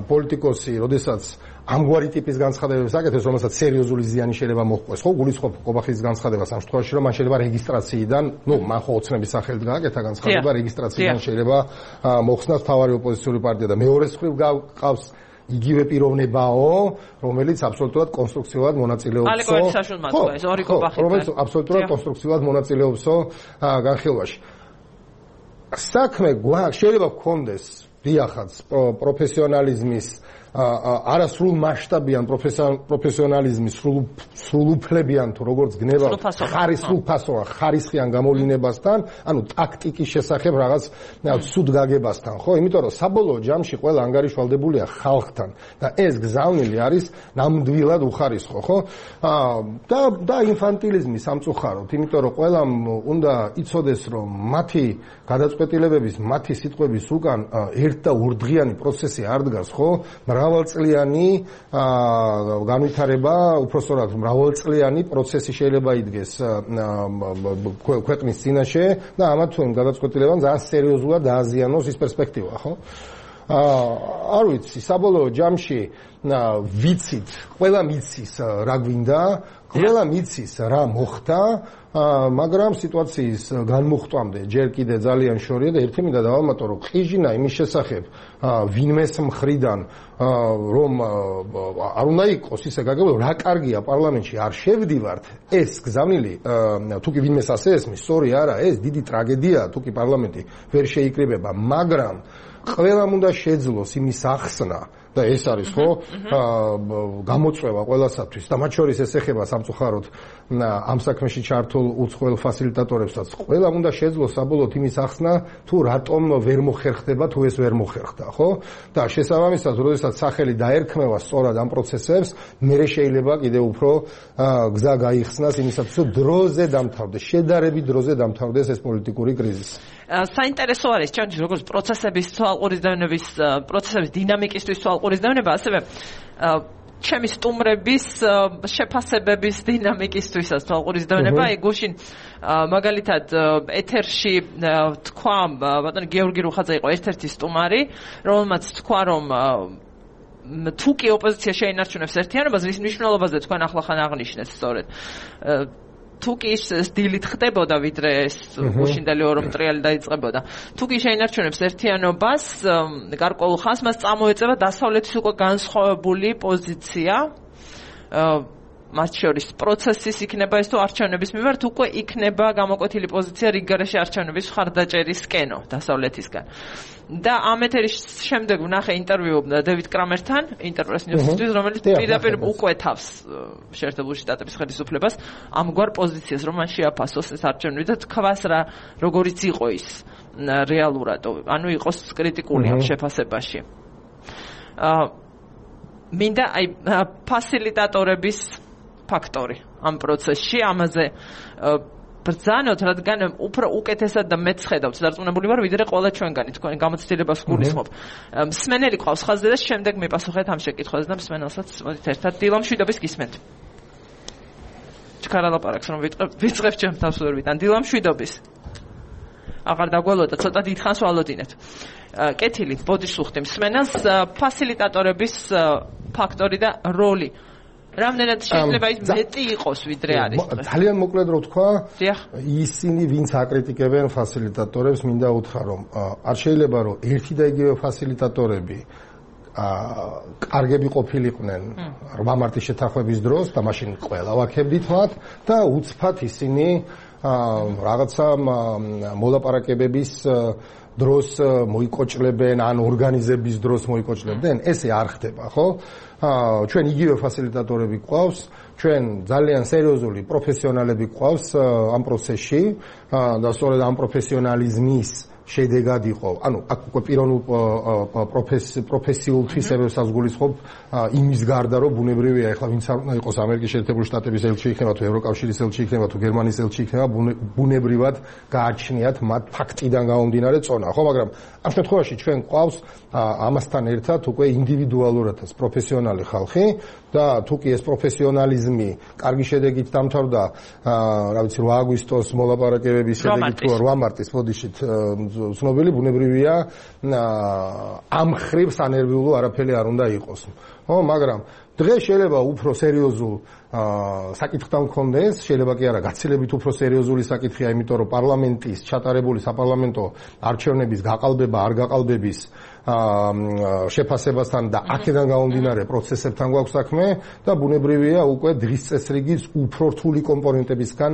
პოლიტიკოსი, როდესაც ამგვარი ტიპის განცხადებებს აკეთებს, რომელსაც სერიოზული ზიანი შეიძლება მოჰყვეს, ხო? გულისხმობ კობახის განცხადებას ამ შემთხვევაში, რომ მან შეიძლება რეგისტრაციიდან, ну, მან ხო ოცნების სახელით გააკეთა განცხადება, რეგისტრაციიდან შეიძლება მოხსნას მთავარი ოპოზიციური პარტია და მეორეს მხრივ ყავს იგივე პიროვნებაო, რომელიც აბსოლუტურად კონსტრუქციულად მონაწილეობსო. ალეკოვიჩ საშულმათო ეს ორი კობახი. რომელიც აბსოლუტურად კონსტრუქციულად მონაწილეობსო განხილვაში. საქმე გვაქვს, შეიძლება გქონდეს დიახაც პროფესიონალიზმის არასრულ მასშტაბიან პროფესიონალიზმის სრულუფლებიან თუ როგორც გნება ხარისხიან ხარისხიან გამოვლინებასთან, ანუ ტაქტიკის შესახებ რაღაც სუდ გაგებასთან, ხო? იმიტომ რომ საბოლოო ჯამში ყველა ანგარიშვალდებულია ხალხთან და ეს გზავნილი არის ნამდვილად უხარისხო, ხო? და და ინფანტილიზმი სამწუხაროდ, იმიტომ რომ ყველამ უნდა იცოდეს, რომ მათი გადაწყვეტილებების, მათი სიტყვების უკან ერთ და ურდღიანი პროცესი არ დგას, ხო? მრავალწლიანი განვითარება, უпростоრად მრავალწლიანი პროცესი შეიძლება იდგეს ქვეყნის წინაშე და ამათ თუ იმ გადაწყვეტილებამ ძალიან სერიოზულად დააზიანოს ის პერსპექტივა, ხო? არ ვიცი, საბოლოო ჯამში ვიცით, ყველა მიცის რა გვინდა, ყველა მიცის რა მოხდა, მაგრამ სიტუაციის განმუხტვამდე ჯერ კიდე ძალიან შორია და ერთი მინდა დავამატო, რომ ყიჟინა იმის შესახებ ვინმეს მხრიდან რომ არ უნდა იყოს ისე გაგებულო, რა კარგია პარლამენტში არ შევდივართ, ეს გზავნილი თუ კი ვინმეს ასე ესმის, სწორი არა, ეს დიდი ტრაგედია, თუ კი პარლამენტი ვერ შეიკრიბება, მაგრამ ყველამ უნდა შეძლოს იმის ახსნა და ეს არის ხო გამოწვევა ყველასათვის და მათ შორის ეს ეხება სამწუხაროდ ამ საქმეში ჩართულ უცხოელ ფასილიტატორებსაც. ყველამ უნდა შეძლოს საბოლოოდ იმის ახსნა, თუ რატომ ვერ მოხერხდება, თუ ეს ვერ მოხერხდა, ხო? და შესაბამისად, როდესაც სახელი დაერქმევა სწორად ამ პროცესებს, მერე შეიძლება კიდევ უფრო გზა გაიხსნას იმისათვის, რომ დროზე დამთავრდეს, შედარებით დროზე დამთავრდეს ეს პოლიტიკური კრიზისი. საინტერესო არის ჩემთვის როგორც პროცესების თვალყურის დევნების პროცესების დინამიკისთვის თვალყურის დევნება, ასევე ჩემი სტუმრების შეფასებების დინამიკისთვისაც თვალყურის დევნება. აი გუშინ მაგალითად ეთერში თქვა ბატონი გიორგი რუხაძე იყო ერთ-ერთი სტუმარი, რომელმაც თქვა რომ თუ კი ოპოზიცია შეინარჩუნებს ერთიანობას, რის მნიშვნელობაზე თქვენ ახლახან აღნიშნეთ სწორედ. თუ კი ის დილით ხდებოდა, ვიდრე ეს გუშინდელი ორომტრიალი დაიწყებოდა. თუ კი შეინარჩუნებს ერთიანობას, გარკვეულ ხანს მას წამოეწევა დასავლეთის უკვე განსხვავებული პოზიცია. მათ შორის პროცესის იქნება ეს თუ არჩევნების მიმართ უკვე იქნება გამოკვეთილი პოზიცია რიგგარეშე არჩევნების მხარდაჭერისკენო დასავლეთისგან. და ამ ეთერის შემდეგ ვნახე ინტერვიუ დევიდ კრამერთან, ინტერპრეს ნიუსისთვის, რომელიც პირდაპირ უკვეთავს შეერთებული შტატების ხელისუფლებას ამგვარ პოზიციას, რომ მან შეაფასოს ეს არჩევნები და თქვას რა როგორიც იყო ის რეალურად, ანუ იყოს კრიტიკული ამ შეფასებაში. აა მინდა აი ფასილიტატორების ფაქტორი ამ პროცესში, ამაზე ბრძანოთ, რადგან უფრო უკეთესად და მეც ხედავთ, დარწმუნებული ვარ, ვიდრე ყველა ჩვენგანი თქვენ გამოცდილებას გულისხმობ. მსმენელი ყავს ხაზზე და შემდეგ მიპასუხეთ ამ შეკითხვაზე და მსმენელსაც მოდით ერთად დილამ შვიდობის გისმენთ. ჩქარა ლაპარაკს რომ ვიწყებ ჩემ თავს ვერ ვიტან. დილამ შვიდობის. აღარ დაგვალოთ, ცოტა დიდხანს ვალოდინეთ. კეთილი, ბოდიშ სუხთი მსმენელს ფასილიტატორების ფაქტორი და როლი. რამდენად შეიძლება ის მეტი იყოს ვიდრე არის. ძალიან მოკლედ რო თქვა, ისინი ვინც აკრიტიკებენ ფასილიტატორებს, მინდა უთხრა რომ არ შეიძლება რომ ერთი და იგივე ფასილიტატორები კარგები ყოფილიყვნენ რვა მარტის შეთანხმების დროს და მაშინ ყველა ვაქებდით მათ და უცბად ისინი რაღაცა მოლაპარაკებების დროს მოიკოჭლებენ ან ორგანიზების დროს მოიკოჭლებდნენ, ესე არ ხდება, ხო? ჩვენ იგივე ფასილიტატორები გვყავს, ჩვენ ძალიან სერიოზული პროფესიონალები გვყავს ამ პროცესში და სწორედ ამ პროფესიონალიზმის შედეგად იყო, ანუ აქ უკვე პიროვნულ პროფესიულ თვისებებსაც გულისხმობ იმის გარდა, რომ ბუნებრივია, ეხლა ვინც არ უნდა იყოს ამერიკის შეერთებული შტატების ელჩი იქნება თუ ევროკავშირის ელჩი იქნება თუ გერმანიის ელჩი იქნება, ბუნებრივად გააჩნიათ მათ ფაქტიდან გამომდინარე წონა, ხო, მაგრამ ამ შემთხვევაში ჩვენ გვყავს ამასთან ერთად უკვე ინდივიდუალურადაც პროფესიონალი ხალხი და თუ კი ეს პროფესიონალიზმი კარგი შედეგით დამთავრდა, რა ვიცი, რვა აგვისტოს მოლაპარაკებების შედეგით თუ რვა მარტის ბოდიშით ცნობილი ბუნებრივია ამ ხრივ სანერვიულო არაფერი არ უნდა იყოს. ხო, მაგრამ დღეს შეიძლება უფრო სერიოზულ საკითხთან მქონდეს, შეიძლება კი არა, გაცილებით უფრო სერიოზული საკითხია, იმიტომ რომ პარლამენტის ჩატარებული საპარლამენტო არჩევნების გაყალბება, არ გაყალბების შეფასებასთან და აქედან გამომდინარე პროცესებთან გვაქვს საქმე და ბუნებრივია უკვე დღის წესრიგის უფრო რთული კომპონენტებისგან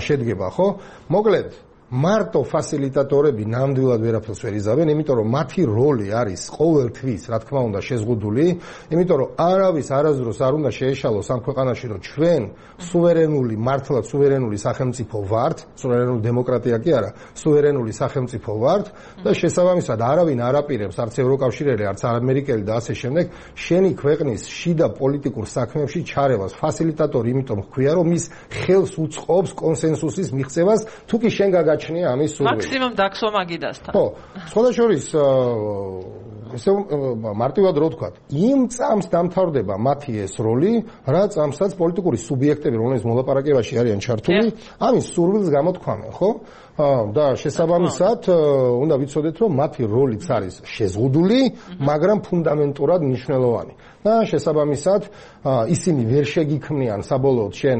შედგება, ხო? მოკლედ მარტო ფასილიტატორები ნამდვილად ვერაფერს ვერ იზავენ, იმიტომ რომ მათი როლი არის ყოველთვის, რა თქმა უნდა, შეზღუდული, იმიტომ რომ არავის არასდროს არ უნდა შეეშალოს ამ ქვეყანაში, რომ ჩვენ სუვერენული, მართლაც სუვერენული სახელმწიფო ვართ, სუვერენული დემოკრატია კი არა, სუვერენული სახელმწიფო ვართ და შესაბამისად არავინ არ აპირებს, არც ევროკავშირელი, არც ამერიკელი და ასე შემდეგ, შენი ქვეყნის შიდა პოლიტიკურ საქმეებში ჩარევას. ფასილიტატორი იმიტომ ჰქვია, რომ ის ხელს უწყობს კონსენსუსის მიღწევას, თუ კი შენ გაგა ამის სურვილი. მაქსიმუმ დაგსვა მაგიდასთან. ხო, სხვათა შორის ესე მარტივად რო ვთქვათ, იმ წამს დამთავრდება მათი ეს როლი, რა წამსაც პოლიტიკური სუბიექტები, რომლებიც მოლაპარაკებაში არიან ჩართული, ამის სურვილს გამოთქვამენ, ხო? და შესაბამისად უნდა ვიცოდეთ, რომ მათი როლიც არის შეზღუდული, მაგრამ ფუნდამენტურად მნიშვნელოვანი. და შესაბამისად ისინი ვერ შეგიქმნიან საბოლოოდ შენ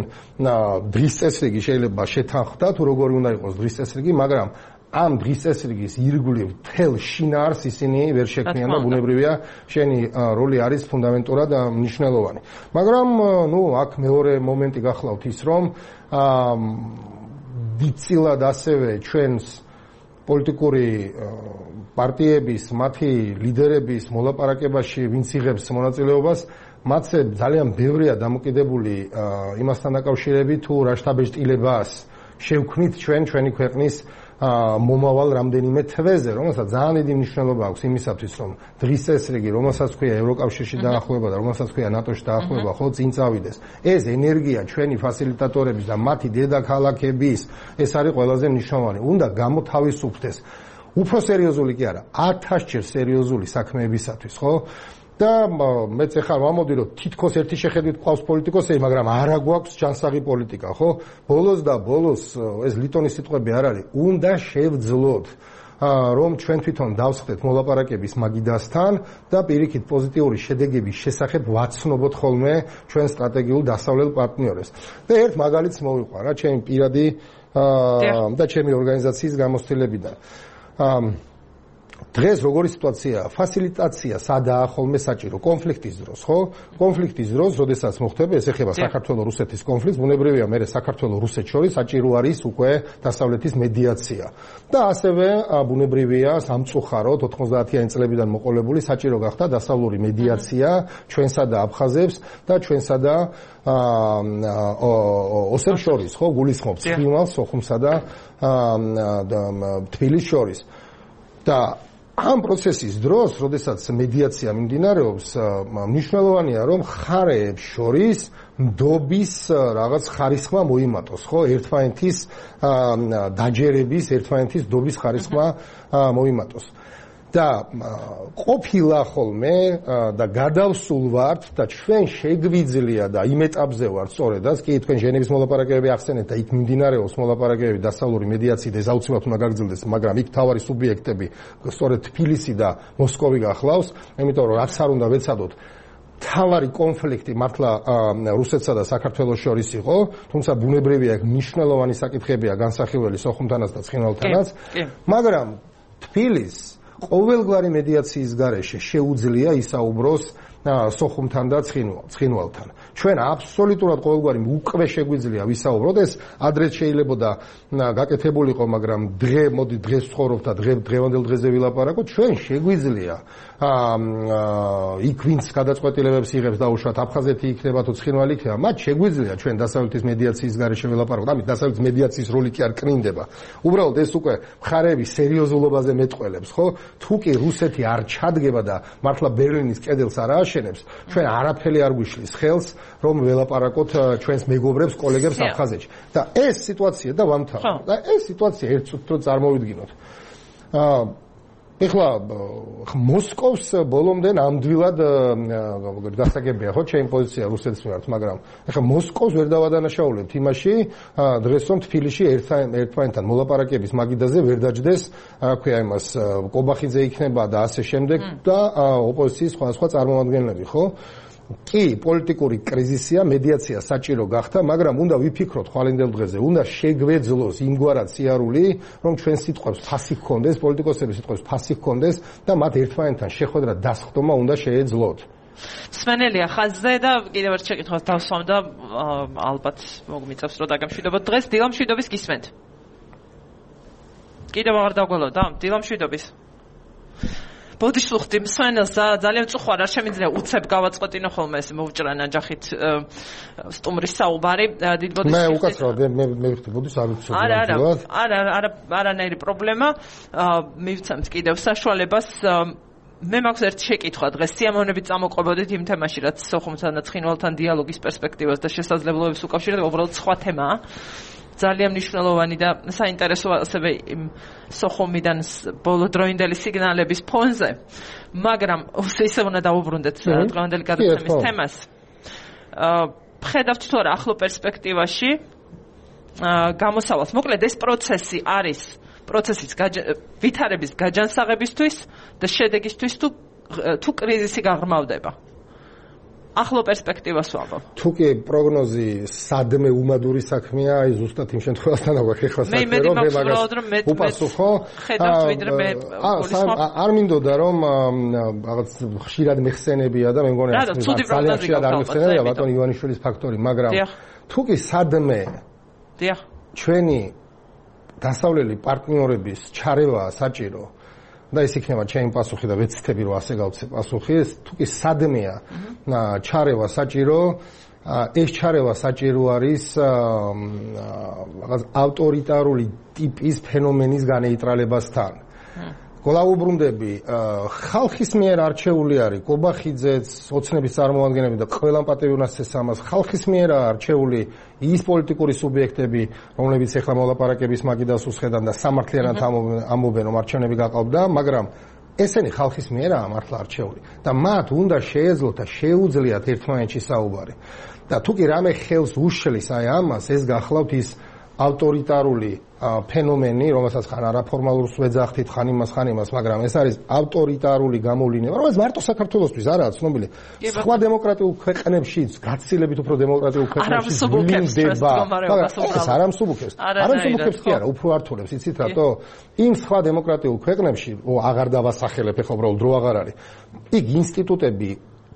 დღის წესრიგი შეიძლება შეთანხმდა თუ როგორი უნდა იყოს დღის წესრიგი, მაგრამ ამ დღის წესრიგის ირგვლივ თელ შინაარს ისინი ვერ შექმნიან და ბუნებრივია შენი როლი არის ფუნდამენტურად მნიშვნელოვანი. მაგრამ ნუ აქ მეორე მომენტი გახლავთ ის, რომ დიდწილად ასევე ჩვენს პოლიტიკური პარტიების, მათი ლიდერების მოლაპარაკებაში ვინც იღებს მონაწილეობას, მათზე ძალიან ბევრია დამოკიდებული იმასთან დაკავშირებით, თუ რა შთაბეჭდილებას შევქმნით ჩვენ ჩვენი ქვეყნის მომავალ რამდენიმე თვეზე, რომელსაც ძალიან დიდი მნიშვნელობა აქვს იმისათვის, რომ დღის წესრიგი, რომელსაც ქვია ევროკავშირში დაახლოება და რომელსაც ქვია ნატოში დაახლოება, ხო, წინ წავიდეს. ეს ენერგია ჩვენი ფასილიტატორების და მათი დედაქალაქების, ეს არის ყველაზე მნიშვნელოვანი. უნდა გამოთავისუფლდეს. უფრო სერიოზული კი არა, ათასჯერ სერიოზული საქმეებისათვის, ხო? და მეც ახლა ვამოდი, რომ თითქოს ერთი შეხედვით ყავს პოლიტიკოსები, მაგრამ არა გვაქვს ჯანსაღი პოლიტიკა, ხო? ბოლოს და ბოლოს ეს ლიტონის სიტყვები არ არის, უნდა შევძლოთ რომ ჩვენ თვითონ დავსხდეთ მოლაპარაკების მაგიდასთან და პირიქით პოზიტიური შედეგების შესახებ ვაცნობოთ ხოლმე ჩვენ სტრატეგიულ დასავლელ პარტნიორებს. და ერთ მაგალითს მოვიყვანა ჩემი პირადი და ჩემი ორგანიზაციის გამოცდილებიდან. დღეს როგორი სიტუაციაა? ფასილიტაცია სადაა ხოლმე საჭირო კონფლიქტის დროს, ხო? კონფლიქტის დროს, როდესაც მოხდება, ეს ეხება საქართველოს-რუსეთის კონფლიქტს, ბუნებრივია, მე საქართველოს-რუსეთს შორის საჭირო არის უკვე დასავლეთის მედიაცია. და ასევე ბუნებრივია, სამწუხაროდ ოთხმოცდაათიანი წლებიდან მოყოლებული საჭირო გახდა დასავლური მედიაცია ჩვენსა და აფხაზებს და ჩვენსა და ოსებს შორის, ხო? გულისხმობს ცხინვალს, სოხუმსა და თბილისს შორის. და ამ პროცესის დროს, როდესაც მედიაცია მიმდინარეობს, მნიშვნელოვანია, რომ მხარეებს შორის ნდობის რაღაც ხარისხმა მოიმატოს, ხო? ერთმანეთის დაჯერების, ერთმანეთის ნდობის ხარისხმა მოიმატოს. და ყოფილა ხოლმე და გადავსულ ვართ და ჩვენ შეგვიძლია და იმ ეტაპზე ვართ სწორედაც, კი თქვენ ჟენევის მოლაპარაკებები ახსენეთ და იქ მიმდინარეობს მოლაპარაკებები დასავლური მედიაციით, ეს აუცილებლად უნდა გაგრძელდეს, მაგრამ იქ თავარი სუბიექტები სწორედ თბილისი და მოსკოვი გახლავს, იმიტომ რომ რაც არ უნდა ვეცადოთ თავარი კონფლიქტი მართლა რუსეთსა და საქართველოს შორის იყო, თუმცა ბუნებრივია მნიშვნელოვანი საკითხებია განსახილველი სოხუმთანაც და ცხინვალთანაც, მაგრამ თბილისს ყოველგვარი მედიაციის გარეშე შეუძლია ისაუბროს სოხუმთან და ცხინვალთან. ჩვენ აბსოლუტურად ყოველგვარი უკვე შეგვიძლია ვისაუბროთ, ეს ადრეც შეიძლებოდა გაკეთებულიყო, მაგრამ დღე მოდი დღეს ვცხოვრობთ და დღე დღევანდელ დღეზე ვილაპარაკოთ, ჩვენ შეგვიძლია იქ ვინც გადაწყვეტილებებს იღებს დაუშვათ აფხაზეთი იქნება თუ ცხინვალი იქნება, მათ შეგვიძლია ჩვენ დასავლეთის მედიაციის გარეშე ვილაპარაკოთ. ამით დასავლეთის მედიაციის როლი კი არ კნინდება. უბრალოდ ეს უკვე მხარეების სერიოზულობაზე მეტყველებს, ხო? თუ კი რუსეთი არ ჩადგება და მართლა ბერლინის კედელს არ ააშენებს, ჩვენ არაფერი არ გვიშლის ხელს, რომ ველაპარაკოთ ჩვენს მეგობრებს, კოლეგებს აფხაზეთში. და ეს სიტუაცია და ვამთავრებთ. და ეს სიტუაცია ერთ წუთს წარმოვიდგინოთ. აა ეხლა მოსკოვს ბოლომდე ნამდვილად გასაგებია, ხო, ჩემი პოზიცია რუსეთის მიმართ, მაგრამ ეხლა მოსკოვს ვერ დავადანაშაულებთ იმაში, დღეს რომ თბილისში ერთმანეთთან მოლაპარაკების მაგიდაზე ვერ დაჯდეს, რა ქვია იმას, კობახიძე იქნება და ასე შემდეგ და ოპოზიციის სხვადასხვა წარმომადგენლები, ხო? კი, პოლიტიკური კრიზისია, მედიაცია საჭირო გახდა, მაგრამ უნდა ვიფიქროთ ხვალინდელ დღეზე, უნდა შეგვეძლოს იმგვარად სიარული, რომ ჩვენ სიტყვებს ფასი ჰქონდეს, პოლიტიკოსების სიტყვებს ფასი ჰქონდეს და მათ ერთმანეთთან შეხვედრა დასხდომა უნდა შეეძლოთ. სმენელია ხაზზე და კიდევ ერთ შეკითხვას დავსვამ და ალბათ მოგმიწევს რომ დაგემშვიდობოთ დღეს დილამშვიდობის გისმენთ. კიდევ აღარ დაგველოთ და დილამშვიდობის. ბოდიში ვხვდი მსმენელს ძალიან წუხარ არ შემიძლია უცებ გავაწყვეტინო ხოლმე ეს მოვჭრა ნაჯახით სტუმრის საუბარი დიდ ბოდიში მე უკაცრავად მე მე ვხვდი ბოდიში არ ვიცოდი არა არა არა არა არანაირი პრობლემა მივცემთ კიდევ საშუალებას მე მაქვს ერთი შეკითხვა დღეს სიამოვნებით წამოყვებოდით იმ თემაში რაც სოხუმთან და ცხინვალთან დიალოგის პერსპექტივას და შესაძლებლობებს უკავშირდება უბრალოდ სხვა თემაა ძალიან მნიშვნელოვანი და საინტერესო ასევე იმ სოხუმიდან ბოლოდროინდელი სიგნალების ფონზე, მაგრამ ისე უნდა დავუბრუნდეთ დღევანდელი გადაცემის თემას. ხედავთ თუ არა ახლო პერსპექტივაში გამოსავალს. მოკლედ ეს პროცესი არის პროცესის ვითარების გაჯანსაღებისთვის და შედეგისთვის თუ თუ კრიზისი გაღრმავდება. ახლო პერსპექტივას ვამბობ. თუ კი პროგნოზი სადმე უმადური საქმეა, აი ზუსტად იმ შემთხვევასთან აგვაქვს ეხლა საქმე, რომ მე მაგას უპასუხო. ხედავთ ვიდრე მე არ მინდოდა რომ რაღაც ხშირად მეხსენებია და მე მგონი ძალიან ხშირად არ მეხსენებია ბატონ ივანიშვილის ფაქტორი, მაგრამ თუ კი სადმე დიახ ჩვენი დასავლელი პარტნიორების ჩარევა საჭირო და ეს იქნება ჩემი პასუხი და ვეცდები რომ ასე გავცე პასუხი, თუ კი სადმეა ჩარევა საჭირო, ეს ჩარევა საჭირო არის რაღაც ავტორიტარული ტიპის ფენომენის განეიტრალებასთან. გოლაუბრუნდები ხალხის მიერ არჩეული არის კობახიძეც, ოცნების წარმომადგენლები და ყველამ პატივი უნასწეს ამას ხალხის მიერ არჩეული ის პოლიტიკური სუბიექტები, რომლებიც ეხლა მოლაპარაკების მაგიდას უსხედან და სამართლიანად ამობენ, რომ არჩევნები გაყალბდა, მაგრამ ესენი ხალხის მიერაა მართლა არჩეული და მათ უნდა შეეძლოთ და შეუძლიათ ერთმანეთში საუბარი. და თუ კი რამე ხელს უშლის აი ამას, ეს გახლავთ ის ავტორიტარული ფენომენი, რომელსაც ხან არაფორმალურს ვეძახთით, ხან იმას, ხან იმას, მაგრამ ეს არის ავტორიტარული გამოვლინება, რომელიც მარტო საქართველოსთვის არაა ცნობილი. სხვა დემოკრატიულ ქვეყნებშიც, გაცილებით უფრო დემოკრატიულ ქვეყნებშიც ვლინდება. ეს არ ამსუბუქებს. არ ამსუბუქებს კი არა, უფრო ართულებს, იცით რატო? იმ სხვა დემოკრატიულ ქვეყნებში, ო აღარ დავასახელებ, ეხლა უბრალოდ დრო აღარ არის. იქ ინსტიტუტები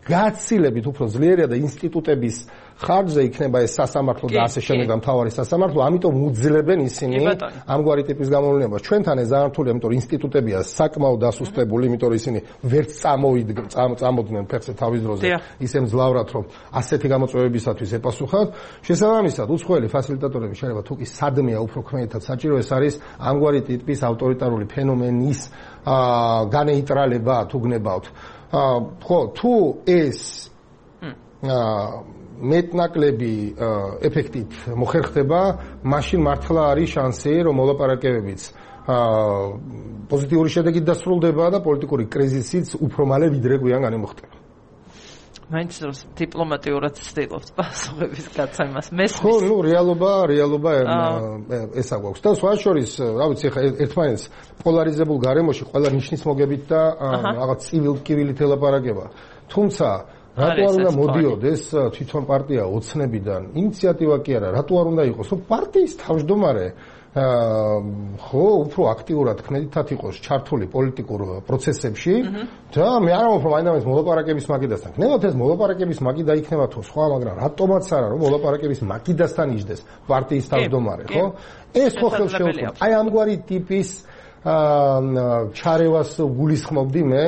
გაცილებით უფრო ძლიერია და ინსტიტუტების ხარჯზე იქნება ეს სასამართლო და ასე შემდეგ და მთავარი სასამართლო, ამიტომ უძლებენ ისინი ამგვარი ტიპის გამოვლენებას. ჩვენთან ეს ძალიან რთულია, იმიტომ რომ ინსტიტუტებია საკმაოდ დასუსტებული, იმიტომ რომ ისინი ვერც წამოდნენ ფეხზე თავის დროზე ისე მძლავრად, რომ ასეთი გამოწვევებისათვის ეპასუხათ. შესაბამისად, უცხოელი ფასილიტატორები შეიძლება თუ კი სადმეა უფრო ქმედითად საჭირო, ეს არის ამგვარი ტიპის ავტორიტარული ფენომენის განეიტრალება, თუ გნებავთ. ხო, თუ ეს მეტნაკლები ეფექტით მოხერხდება, მაშინ მართლა არის შანსი, რომ მოლაპარაკებებიც პოზიტიური შედეგით დასრულდება და პოლიტიკური კრიზისიც უფრო მალე ვიდრე გვიან განიმოხტება. მაინც რომ დიპლომატიურად ცდილობთ პასუხების გაცემას მესმის. ხო, ნუ რეალობა, რეალობა ესა გვაქვს. და სხვა შორის, რა ვიცი, ხა ერთმანეთს პოლარიზებულ გარემოში ყველა ნიშნის მოგებით და რაღაც civilკივილით ელაპარაკება. თუმცა რატო არ უნდა მოდიოდეს თვითონ პარტია ოცნებიდან? ინიციატივა კი არა, რატო არ უნდა იყოს, რომ პარტიის თავმჯდომარე ხო, უფრო აქტიურად ქმედითად იყოს ჩართული პოლიტიკურ პროცესებში და მე არ ვამბობ, რომ მაინც მოლაპარაკების მაგიდასთან. გნებავთ ეს მოლაპარაკების მაგიდა იქნება თუ სხვა, მაგრამ რატომაც არა, რომ მოლაპარაკების მაგიდასთან იჯდეს პარტიის თავმჯდომარე, ხო? ეს ხო ხელს შეუწყობს. აი ამგვარი ტიპის ჩარევას გულისხმობდი მე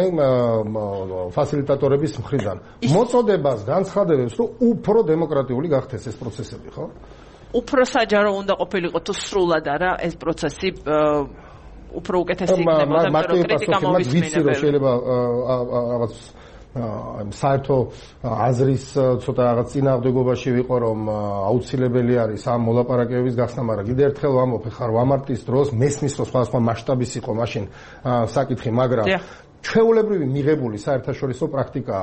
ფასილიტატორების მხრიდან. მოწოდებას განცხადებებს, რომ უფრო დემოკრატიული გახდეს ეს პროცესები, ხო? უფრო საჯარო უნდა ყოფილიყო თუ სრულად არა ეს პროცესი უფრო უკეთესი იქნებოდა, მაგრამ კრიტიკა მოვისმინებელია. შეიძლება რაღაც საერთო აზრის ცოტა რაღაც წინააღმდეგობაში ვიყო, რომ აუცილებელი არის ამ მოლაპარაკებების გახსნა, მაგრამ კიდევ ერთხელ ვამბობ, ხარ ვამარტის დროს მესმის რომ სხვადასხვა მასშტაბის იყო მაშინ საკითხი, მაგრამ ჩვეულებრივი მიღებული საერთაშორისო პრაქტიკა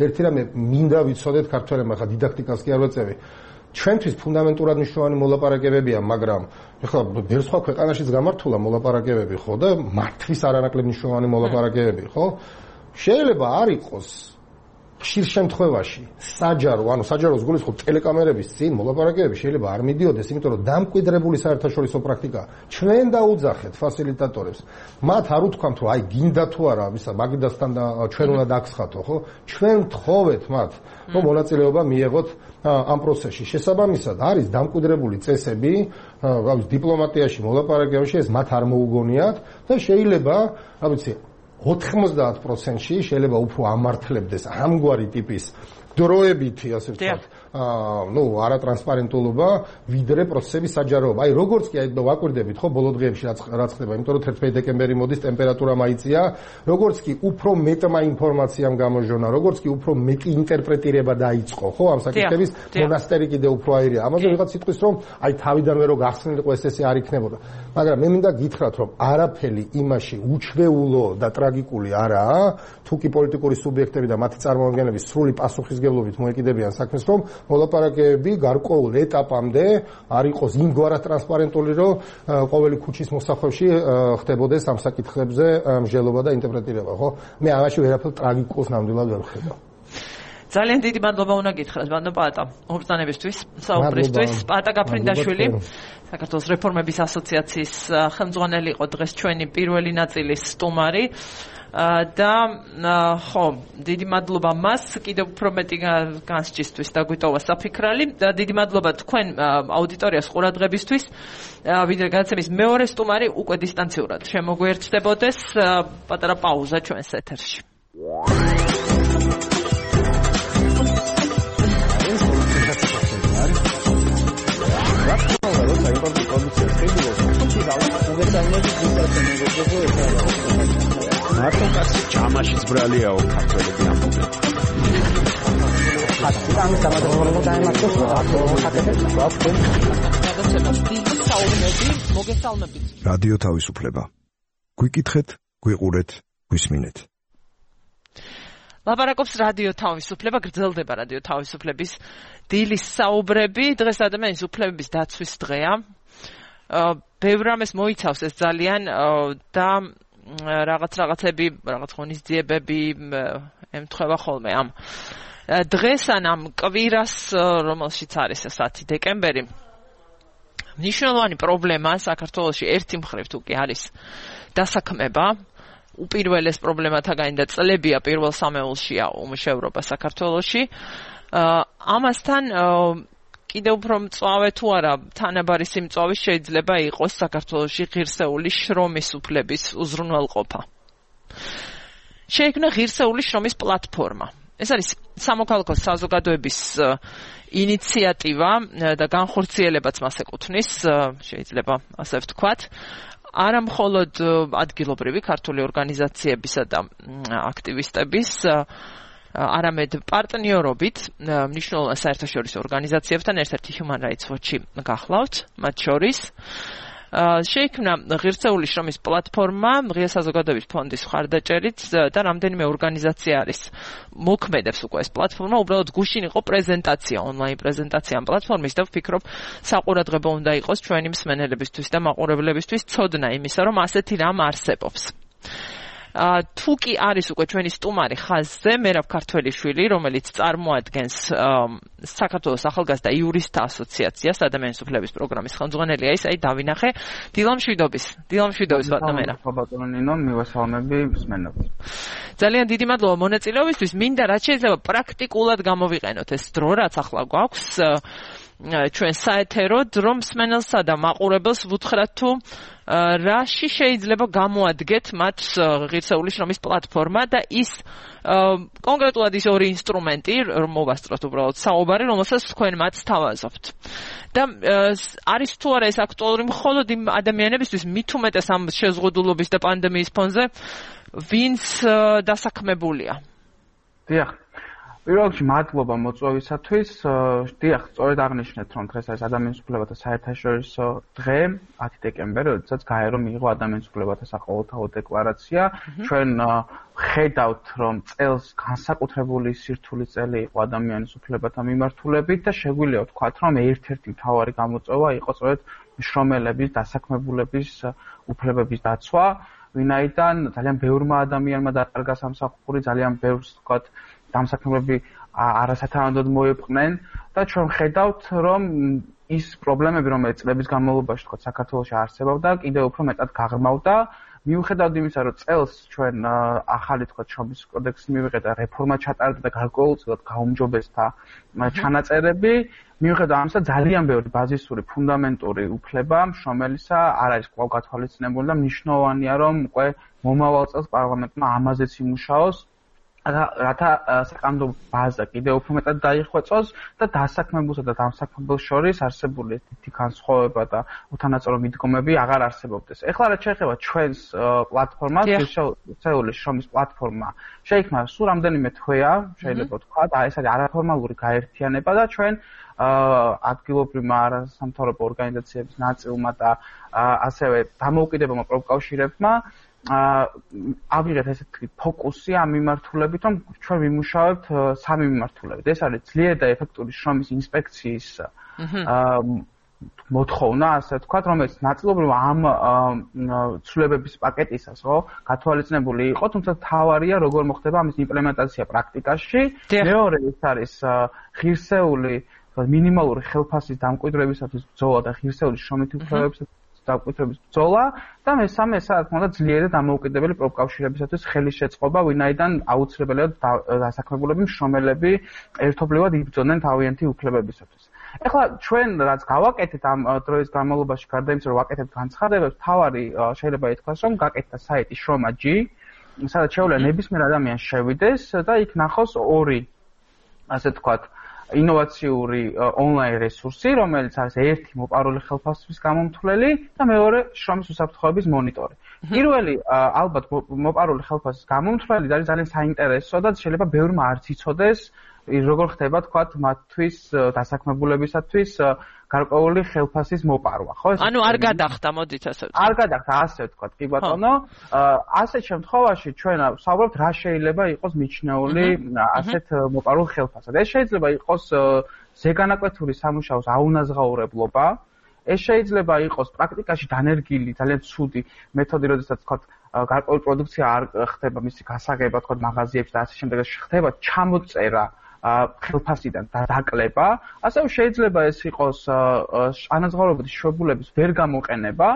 ერთი რამე მინდა ვიცოდეთ ქართველებმა, ხა დიდაქტიკას კი არ ვეწევი. ჩვენთვის ფუნდამენტურად მნიშვნელოვანი მოლაპარაკებებია, მაგრამ ეხლა ბევრ სხვა ქვეყანაშიც გამართულა მოლაპარაკებები, ხო და მართვის არანაკლებ მნიშვნელოვანი მოლაპარაკებები, ხო? შეიძლება არ იყოს ხშირ შემთხვევაში საჯარო, ანუ საჯაროს გულისხმობ ტელეკამერების წინ მოლაპარაკებები შეიძლება არ მიდიოდეს, იმიტომ რომ დამკვიდრებული საერთაშორისო პრაქტიკა ჩვენ დაუძახეთ ფასილიტატორებს. მათ არ უთქვამთ, რომ აი გინდა თუ არა, ისა მაგიდასთან და ჩვენ უნდა დაგსხათო, ხო? ჩვენ ვთხოვეთ მათ, რომ მონაწილეობა მიეღოთ ამ პროცესში. შესაბამისად, არის დამკვიდრებული წესები, რა ვიცი, დიპლომატიაში, მოლაპარაკებაში, ეს მათ არ მოუგონიათ და შეიძლება, რა ვიცი, ოთხმოცდაათ პროცენტში შეიძლება უფრო ამართლებდეს ამგვარი ტიპის დროებითი, ასე ვთქვათ, ну, არატრანსპარენტულობა, ვიდრე პროცესების საჯაროობა. აი, როგორც კი აი ვაკვირდებით, ხო, ბოლო დღეებში რაც რაც ხდება, იმიტომ რომ თერთმეტი დეკემბერი მოდის, ტემპერატურა მაიწია, როგორც კი უფრო მეტმა ინფორმაციამ გამოჟონა, როგორც კი უფრო მეტი ინტერპრეტირება დაიწყო, ხო, ამ საკითხების მონასტერი კიდე უფრო აირია. ამაზე ვიღაც სიტყვის, რომ აი თავიდანვე რო გახსნილიყო ეს ესე არ იქნებოდა. მაგრამ მე მინდა გითხრათ, რომ არაფერი იმაში უჩვეულო და ტრაგიკული არაა, თუ კი პოლიტიკური სუბიექტები და მათი წარმომადგენლები სრული პასუხისგებლობით მოეკიდებიან საქმეს, რომ მოლაპარაკებები გარკვეულ ეტაპამდე არ იყოს იმგვარად ტრანსპარენტული, რომ ყოველი ქუჩის მოსახვევში ხდებოდეს ამ საკითხებზე მსჯელობა და ინტერპრეტირება, ხო? მე ამაში ვერაფერ ტრაგიკულს ნამდვილად ვერ ვხედავ. ძალიან დიდი მადლობა უნდა გითხრათ, ბატონო პაატა, უბრძანებისთვის, საუბრისთვის. პაატა გაფრინდაშვილი, საქართველოს რეფორმების ასოციაციის ხელმძღვანელი იყო დღეს ჩვენი პირველი ნაწილის სტუმარი. და ხო, დიდი მადლობა მას, კიდევ უფრო მეტი განსჯისთვის დაგვიტოვა საფიქრალი და დიდი მადლობა თქვენ აუდიტორიას ყურადღებისთვის. ვიდრე გადაცემის მეორე სტუმარი უკვე დისტანციურად შემოგვერჩდებოდეს. პატარა პაუზა ჩვენს ეთერში. მარტო კაცი ჯამაშიც ბრალიაო ქართველები ამბობენ. ხატი დამატებულად დაემართოს ხატებს ვაფრენ. გადაცემას დიდი საუბნები მოგესალმებით. რადიო თავისუფლება. გვიკითხეთ, გვიყურეთ, გვისმინეთ. ლაპარაკობს რადიო თავისუფლება, გრძელდება რადიო თავისუფლების დილის საუბრები. დღეს ადამიანის უფლებების დაცვის დღეა. ბევრ რამეს მოიცავს ეს ძალიან და რაღაც რაღაცები, რაღაც ღონისძიებები ემთხვევა ხოლმე ამ დღეს ან ამ კვირას, რომელშიც არის ასეთი დეკემბერი. მნიშვნელოვანი პრობლემა საქართველოში ერთი მხრივ თუ კი არის დასაქმება. უპირველეს პრობლემათაგანი და წლებია პირველ სამეულშია უმუშევრობა საქართველოში. ამასთან კიდევ უფრო მწვავე თუ არა თანაბარი სიმწვავე შეიძლება იყოს საქართველოში ღირსეული შრომის უფლების უზრუნველყოფა. შეიქმნა ღირსეული შრომის პლატფორმა. ეს არის სამოქალაქო საზოგადოების ინიციატივა და განხორციელებაც მას ეკუთვნის, შეიძლება ასე ვთქვათ. არა მხოლოდ ადგილობრივი ქართული ორგანიზაციებისა და აქტივისტების, არამედ პარტნიორობით მნიშვნელოვან საერთაშორისო ორგანიზაციებთან, ერთ-ერთი Human Rights Watch-ი გახლავთ, მათ შორის. შეიქმნა ღირსეული შრომის პლატფორმა ღია საზოგადოების ფონდის მხარდაჭერით და რამდენიმე ორგანიზაცია არის მოქმედებს უკვე ეს პლატფორმა. უბრალოდ გუშინ იყო პრეზენტაცია, ონლაინ პრეზენტაცია ამ პლატფორმის და ვფიქრობ საყურადღებო უნდა იყოს ჩვენი მსმენელებისთვის და მაყურებლებისთვის ცოდნა იმისა, რომ ასეთი რამ არსებობს. თუ კი არის უკვე ჩვენი სტუმარი ხაზზე, მერაბ ქართველიშვილი, რომელიც წარმოადგენს საქართველოს ახალგაზრდა იურისტთა ასოციაციას, ადამიანის უფლების პროგრამის ხელმძღვანელია, ის აი დავინახე. დილამშვიდობის, დილამშვიდობის ბატონო მერაბ. ბატონო ნინო, მივესალმები მსმენელს. ძალიან დიდი მადლობა მონაწილეობისთვის. მინდა რაც შეიძლება პრაქტიკულად გამოვიყენოთ ეს დრო, რაც ახლა გვაქვს ჩვენ საეთეროდ, რომ მსმენელსა და მაყურებელს ვუთხრათ თუ რაში შეიძლება გამოადგეთ მათ ღირსეული შრომის პლატფორმა და ის კონკრეტულად ის ორი ინსტრუმენტი, რომ მოვასწროთ უბრალოდ საუბარი, რომელსაც თქვენ მათ სთავაზობთ. და არის თუ არა ეს აქტუალური მხოლოდ იმ ადამიანებისთვის, მით უმეტეს ამ შეზღუდულობის და პანდემიის ფონზე, ვინც დასაქმებულია. დიახ. პირველ რიგში მადლობა მოწვევისათვის. დიახ, სწორედ აღნიშნეთ, რომ დღეს არის ადამიანის უფლებათა საერთაშორისო დღე, ათი დეკემბერი, როდესაც გაერო მიიღო ადამიანის უფლებათა საყოველთაო დეკლარაცია. ჩვენ ხედავთ, რომ წელს განსაკუთრებული სირთული წელი იყო ადამიანის უფლებათა მიმართულებით და შეგვიძლია ვთქვათ, რომ ერთ-ერთი მთავარი გამოწვევა იყო სწორედ შრომელების, დასაქმებულების უფლებების დაცვა, ვინაიდან ძალიან ბევრმა ადამიანმა დაკარგა სამსახური, ძალიან ბევრს ვთქვათ დამსაქმებლები არასათანადოდ მოეპყნენ და ჩვენ ხედავთ, რომ ის პრობლემები, რომელიც წლების განმავლობაში თქვა საქართველოში არსებობდა, კიდევ უფრო მეტად გაღრმავდა. მიუხედავად იმისა, რომ წელს ჩვენ ახალი თქვა შრომის კოდექსი მივიღეთ და რეფორმა ჩატარდა და გარკვეულწილად გაუმჯობესდა ჩანაწერები, მიუხედავად ამისა ძალიან ბევრი ბაზისური ფუნდამენტური უფლება მშრომელისა არ არის კვლავ გათვალისწინებული და მნიშვნელოვანია, რომ უკვე მომავალ წელს პარლამენტმა ამაზეც იმუშაოს. რათა საკანონმდებლო ბაზა კიდევ უფრო მეტად დაიხვეწოს და დასაქმებულსა და დამსაქმებელს შორის არსებული თითი განსხვავება და უთანაწორო მიდგომები აღარ არსებობდეს. ეხლა რაც შეეხება ჩვენს პლატფორმას, ღირსეული შრომის პლატფორმა შეიქმნა სულ რამდენიმე თვეა, შეიძლება ვთქვა, და ეს არის არაფორმალური გაერთიანება და ჩვენ ადგილობრივმა არასამთავრობო ორგანიზაციების ნაწილმა და ასევე დამოუკიდებელმა პროფკავშირებმა ავიღეთ ესეთი ფოკუსი ამ მიმართულებით, რომ ჩვენ ვიმუშავებთ სამი მიმართულებით. ეს არის ძლიერი და ეფექტური შრომის ინსპექციის მოთხოვნა, ასე ვთქვათ, რომელიც ნაწილობრივ ამ ცვლილებების პაკეტისას, ხო, გათვალისწინებული იყო, თუმცა თავარია როგორ მოხდება ამის იმპლემენტაცია პრაქტიკაში. მეორე ის არის ღირსეული მინიმალური ხელფასის დამკვიდრებისათვის ბრძოლა და ღირსეული შრომითი უფლებებისათვის დამკვიდრების ბრძოლა და მესამე ეს რა თქმა უნდა ძლიერი და დამოუკიდებელი პროფკავშირებისათვის ხელის შეწყობა, ვინაიდან აუცილებელია დასაქმებულები მშრომელები ერთობლივად იბრძოდნენ თავიანთი უფლებებისათვის. ეხლა ჩვენ რაც გავაკეთეთ ამ დროის განმავლობაში, გარდა იმისა, რომ ვაკეთებთ განცხადებებს, თავარი შეიძლება ითქვას, რომ გაკეთდა საიტი შრომა.ჯი, სადაც შეუძლია ნებისმიერ ადამიანს შევიდეს და იქ ნახოს ორი, ასე ვთქვათ, ინოვაციური ონლაინ რესურსი, რომელიც არის ერთი მოპარული ხელფასების გამომთვლელი და მეორე შრომის უსაფრთხოების მონიტორი. პირველი ალბათ მოპარული ხელფასის გამომთვლელი არის ძალიან საინტერესო და შეიძლება ბევრმა არც იცოდეს როგორ ხდება თქვა მათთვის დასაქმებულებისათვის გარკვეული ხელფასის მოპარვა, ხო? ანუ არ გადახდა, მოდით ასე ვთქვათ. არ გადახდა, ასე ვთქვათ, კი ბატონო. ასეთ შემთხვევაში ჩვენ ვსაუბრობთ რა შეიძლება იყოს მიჩნეული ასეთ მოპარულ ხელფასად. ეს შეიძლება იყოს ზეგანაკვეთური სამუშაოს აუნაზღაურებლობა, ეს შეიძლება იყოს პრაქტიკაში დანერგილი, ძალიან ცუდი მეთოდი, როდესაც ვთქვათ გარკვეული პროდუქცია არ ხდება მისი გასაგება, თქო მაღაზიებში და ასე შემდეგ ხდება ჩამოწერა ხელფასიდან და დაკლება, ასევე შეიძლება ეს იყოს ანაზღაურებადი შვებულების ვერ გამოყენება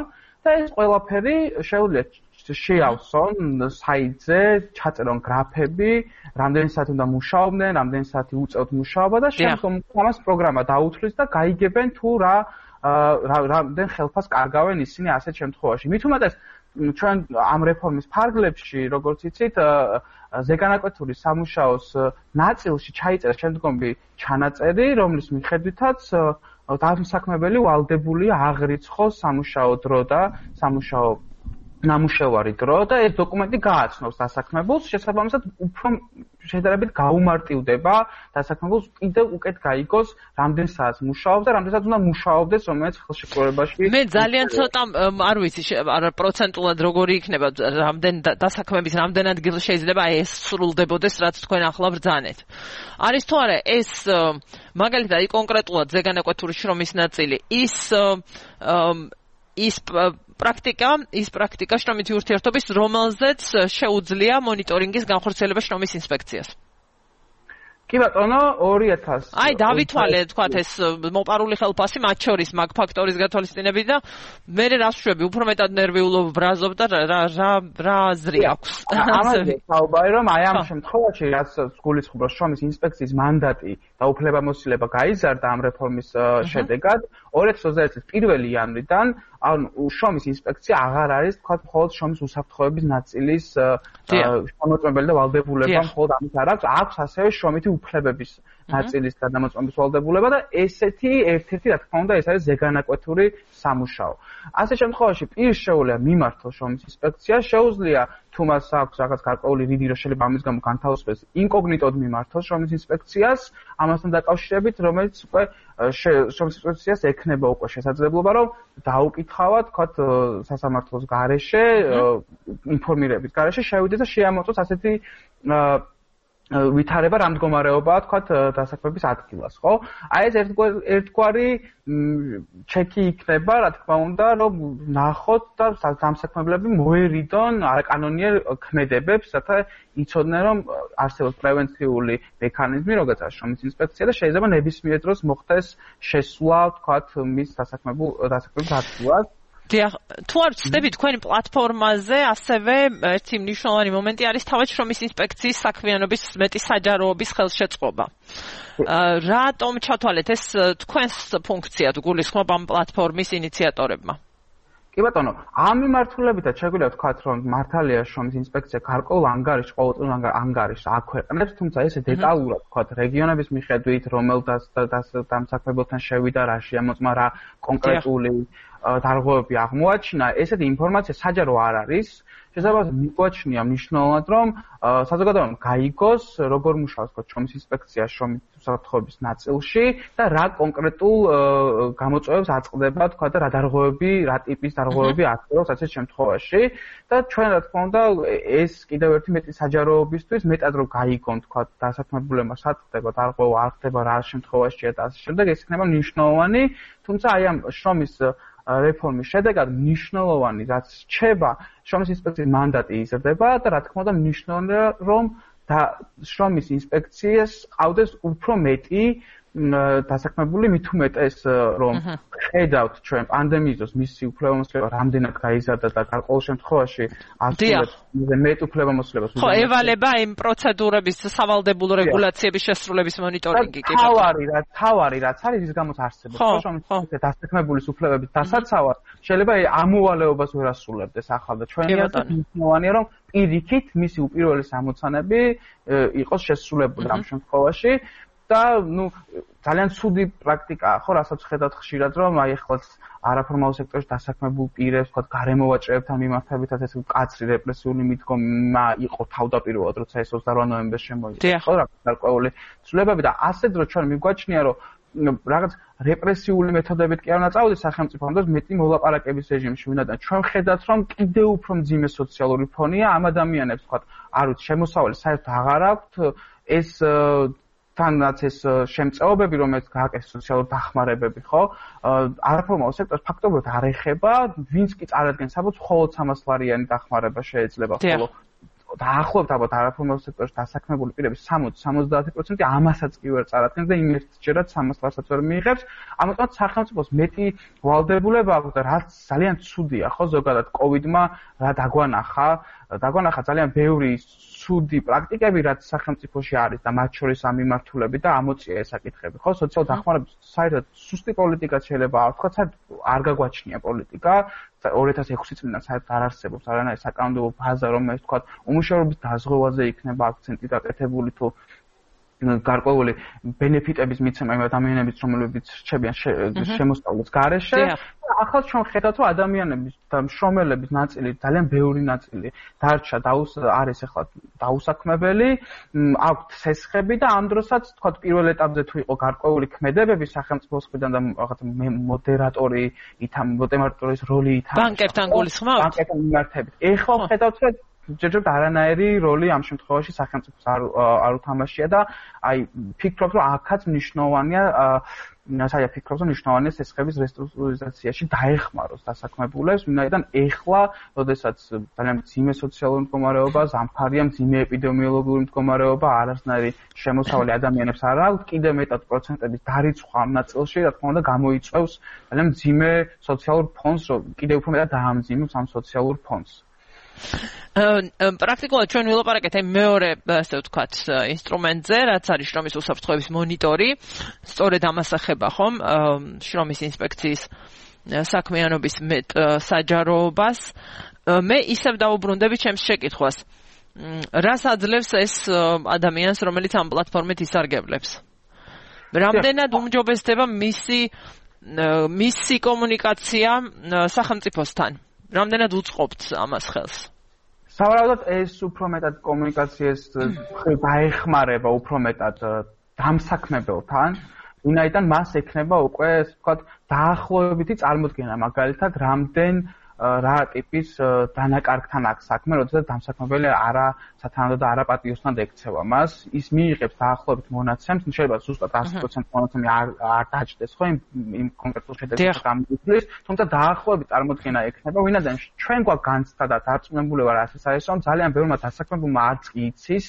და ეს ყველაფერი შეუძლია შეავსონ საიტზე, ჩაწერონ გრაფები, რამდენი საათი უნდა მუშაობდნენ, რამდენი საათი უწევთ მუშაობა და შემდგომ ამას პროგრამა დაუთვლის და გაიგებენ თუ რა რამდენ ხელფასს კარგავენ ისინი ასეთ შემთხვევაში. მით უმეტეს ჩვენ ამ რეფორმის ფარგლებში, როგორც იცით, ზეგანაკვეთური სამუშაოს ნაწილში ჩაიწერა შემდგომი ჩანაწერი, რომლის მიხედვითაც დამსაქმებელი ვალდებულია აღრიცხოს სამუშაო დრო და სამუშაო ნამუშევარი დრო და ეს დოკუმენტი გააცნობს დასაქმებულს, შესაბამისად უფრო შედარებით გაუმარტივდება დასაქმებულს კიდევ უკეთ გაიგოს რამდენ საათს მუშაობს და რამდენ საათს უნდა მუშაობდეს რომელიც ხელშეკრულებაში. მე ძალიან ცოტა არ ვიცი პროცენტულად როგორი იქნება რამდენ დასაქმების რამდენ ადგილ შეიძლება ეს სრულდებოდეს რაც თქვენ ახლა ბრძანეთ. არის თუ არა ეს მაგალითად კონკრეტულად ზეგანაკვეთური შრომის ნაწილი ის ის პრაქტიკა, ის პრაქტიკა შრომითი ურთიერთობის, რომელზეც შეუძლია მონიტორინგის განხორციელება შრომის ინსპექციას. კი ბატონო, ორი ათასი. აი, დავითვალე, თქვათ, ეს მოპარული ხელფასი მათ შორის მაგ ფაქტორის გათვალისწინებით და მე რას შვები, უფრო მეტად ნერვიულობ ბრაზობ და რა რა რა აზრი აქვს. ამაზე საუბარი რომ აი ამ შემთხვევაში რაც გულისხმობს შრომის ინსპექციის მანდატი და უფლებამოსილება გაიზარდა ამ რეფორმის შედეგად, ორი ათი ოცდაერთი წლის პირველი იანვრიდან ანუ შრომის ინსპექცია აღარ არის თქვა მხოლოდ შრომის უსაფრთხოების ნაწილის შემოწმებელი და ვალდებულება მხოლოდ ამით არ აქვს, აქვს ასევე შრომითი უფლებების ნაწილის გადამოწმების ვალდებულება და ესეთი ერთ-ერთი რა თქმა უნდა ეს არის ზეგანაკვეთური სამუშაო. ასეთ შემთხვევაში პირს შეუძლია მიმართოს შრომის ინსპექცია, შეუძლია თუ მას აქვს რაღაც გარკვეული რიგი რომ შეიძლება ამის გამო განთავსდეს ინკოგნიტოდ მიმართოს შრომის ინსპექციას ამასთან დაკავშირებით, რომელიც უკვე შრომის ინსპექციას ექნება უკვე შესაძლებლობა რომ დაუკითხავად თქვათ სასამართლოს გარეშე ინფორმირების გარეშე შევიდეს და შეამოწოს ასეთი ვითარება რა მდგომარეობაა თქვათ დასაქმების ადგილას, ხო? აი ეს ერთგვარი ჩეკი იქნება, რა თქმა უნდა, რომ ნახოთ და დამსაქმებლები მოერიდონ არაკანონიერ ქმედებებს, რათა იცოდნენ, რომ არსებობს პრევენციული მექანიზმი, როგორც არის შრომის ინსპექცია და შეიძლება ნებისმიერ დროს მოხდეს შესვლა, თქვათ, მის დასაქმებულ დასაქმების ადგილას. დიახ, თუ არ ვცდები თქვენი პლატფორმაზე ასევე ერთი მნიშვნელოვანი მომენტი არის თავად შრომის ინსპექციის საქმიანობის მეტი საჯაროობის ხელშეწყობა. რატომ ჩათვალეთ ეს თქვენს ფუნქციად გულისხმობ ამ პლატფორმის ინიციატორებმა? კი ბატონო, ამ მიმართულებითაც შეგვიძლია ვთქვათ, რომ მართალია შრომის ინსპექცია გარკვეულ ანგარიშს, ყოველწლიურ ანგარიშს აქვეყნებს, თუმცა ესე დეტალურად ვთქვათ, რეგიონების მიხედვით, რომელ დამსაქმებელთან შევიდა, რა შეამოწმა, რა კონკრეტული დარღვევები აღმოაჩინა, ესეთი ინფორმაცია საჯარო არ არის. შესაძლოა მიგვაჩნია მნიშვნელოვნად, რომ საზოგადოებამ გაიგოს, როგორ მუშაობს შრომის ინსპექცია შრომის უსაფრთხოების ნაწილში და რა კონკრეტულ გამოწვევებს აწყდება, თქვა და რა დარღვევები, რა ტიპის დარღვევები აწევს ასეთ შემთხვევაში და ჩვენ რა თქმა უნდა ეს კიდევ ერთი მეტი საჯაროობისთვის მეტად რომ გაიგონ, თქვა დასაქმებულებმა საწდება დარღვევა არ ხდება რა შემთხვევაშია და ასე შემდეგ, ეს იქნება მნიშვნელოვანი, თუმცა აი ამ შრომის რეფორმის შედეგად მნიშვნელოვანი რაც რჩება შრომის ინსპექციის მანდატი იზრდება და რა თქმა უნდა მნიშვნელოვანია რომ და შრომის ინსპექციას ყავდეს უფრო მეტი დასაქმებული მით უმეტეს რომ ხედავთ ჩვენ პანდემიის დროს მისი უფლებამოსილება რამდენად გაიზარდა და გარკვეულ შემთხვევაში ასრულებს მეტ უფლებამოსილებას ხო ევალება იმ პროცედურების სავალდებულო რეგულაციების შესრულების მონიტორინგი კი თავარი რა თავარი რაც არის ის გამოც არსებობს შრომის ინსპექცია დასაქმებულის უფლებების დასაცავად შეიძლება ამოვალეობას ვერ ასრულებდეს ახლა და ჩვენია მნიშვნელოვანია რომ პირიქით მისი უპირველესი ამოცანები იყოს შესრულებული ამ შემთხვევაში და ნუ ძალიან ცუდი პრაქტიკაა, ხო, რასაც ხედავთ ხშირად, რომ აი ეხლა არაფორმალურ სექტორში დასაქმებულ პირებს, თქვა გარემოვაჭრეებთან მიმართებითაც ეს მკაცრი რეპრესიული მიდგომა იყო თავდაპირველად, როცა ეს ოცდაოთხ ნოემბერს შემოიღო, ხო, რა გარკვეული ცვლილებები და ასეთ დრო ჩვენ მიგვაჩნია, რომ რაღაც რეპრესიული მეთოდებით კი არ უნდა წავიდეს სახელმწიფო, ამიტომ მეტი მოლაპარაკების რეჟიმში ვინაიდან ჩვენ ხედავთ, რომ კიდევ უფრო მძიმე სოციალური ფონია ამ ადამიანებს, თქვა, არ ვიცი, შემოსავალი საერთოდ აღარ აქვთ, ეს თანაც ეს შემწეობები, რომელიც გააკეთეს სოციალური დახმარებები, ხო? არაფორმალურ სექტორს ფაქტობრივად არ ეხება, ვინც კი წარადგენს საბუთს, მხოლოდ სამას ლარიანი დახმარება შეიძლება, ხოლო დაახლოებით ალბათ არაფორმალურ სექტორში დასაქმებული პირების სამოცდა სამოცდაათი პროცენტი ამასაც კი ვერ წარადგენს და იმ ერთჯერად სამას ლარსაც ვერ მიიღებს. ამიტომ სახელმწიფოს მეტი ვალდებულება აქვს და რაც ძალიან ცუდია, ხო, ზოგადად კოვიდმა რა დაგვანახა, დაგვანახა ძალიან ბევრი ცუდი პრაქტიკები, რაც სახელმწიფოში არის და მათ შორის ამ მიმართულებით და ამოწია ეს საკითხები, ხო? სოციალურ დახმარებას საერთოდ სუსტი პოლიტიკა შეიძლება არ ვთქვა, საერთოდ არ გაგვაჩნია პოლიტიკა. ორი ათას ექვსი წლიდან საერთოდ არ არსებობს არანაირი საკანონმდებლო ბაზა, რომელიც თქვა უმუშევრობის დაზღვევაზე იქნება აქცენტი დაკეთებული თუ გარკვეული ბენეფიტების მიცემა იმ ადამიანებიც, რომლებიც რჩებიან შემოსწავლის გარეშე. ახლა ჩვენ ხედავთ, რომ ადამიანების და მშრომელების ნაწილი, ძალიან ბევრი ნაწილი დარჩა არის ახლა დაუსაქმებელი, აქვთ სესხები და ამ დროსაც თქვა პირველ ეტაპზე თუ იყო გარკვეული ქმედებები სახელმწიფოს მხრიდან და რაღაც მოდერატორი ითამ მოდერატორის როლი ითამაშა. ბანკებთან გულისხმობთ? ბანკებთან მიმართებით. ეხლა ხედავთ, რომ ჯერჯერობით არანაირი როლი ამ შემთხვევაში სახელმწიფოს არ არ უთამაშია და აი ფიქრობ, რომ აქაც მნიშვნელოვანია საერთოდ ფიქრობ, რომ მნიშვნელოვანია სესხების რესტრუქტურიზაციაში დაეხმაროს დასაქმებულებს, ვინაიდან ეხლა, როდესაც ძალიან მძიმე სოციალური მდგომარეობა, ზამთარია, მძიმე ეპიდემიოლოგიური მდგომარეობა, არასნაირი შემოსავალი ადამიანებს არ აქვს, კიდევ მეტად პროცენტების დარიცხვა ამ ნაწილში, რა თქმა უნდა, გამოიწვევს ძალიან მძიმე სოციალურ ფონს, რომ კიდევ უფრო მეტად დაამძიმებს ამ სოციალურ ფონს. პრაქტიკულად ჩვენ ვილაპარაკეთ აი მეორე, ასე ვთქვათ, ინსტრუმენტზე, რაც არის შრომის უსაფრთხოების მონიტორი. სწორედ ამას ეხება ხომ შრომის ინსპექციის საქმიანობის მეტ საჯაროობას. მე ისევ დაუბრუნდები ჩემს შეკითხვას. რას აძლევს ეს ადამიანს, რომელიც ამ პლატფორმით ისარგებლებს? რამდენად უმჯობესდება მისი მისი კომუნიკაცია სახელმწიფოსთან? რამდენად უწყობთ ამას ხელს? სავარაუდოდ ეს უფრო მეტად კომუნიკაციას დაეხმარება უფრო მეტად დამსაქმებელთან, ვინაიდან მას ექნება უკვე, ასე ვთქვათ, დაახლოებითი წარმოდგენა, მაგალითად, რამდენ რა ტიპის დანაკარგთან აქვს საქმე, როდესაც დამსაქმებელი არა სათანადო და არა პატიოსთან ექცევა მას, ის მიიღებს დაახლოებით მონაცემს, შეიძლება ზუსტად ას პროცენტი მონაცემი არ არ დაჭდეს, ხო, იმ იმ კონკრეტულ შედეგს გამიგlis, თუმცა დაახლოებით წარმოდგენა ექნება, ვინაიდან ჩვენ გვაქვს განცდა და დარწმუნებული ვარ ასე არის, რომ ძალიან ბევრმა დასაქმებულმა არც კი იცის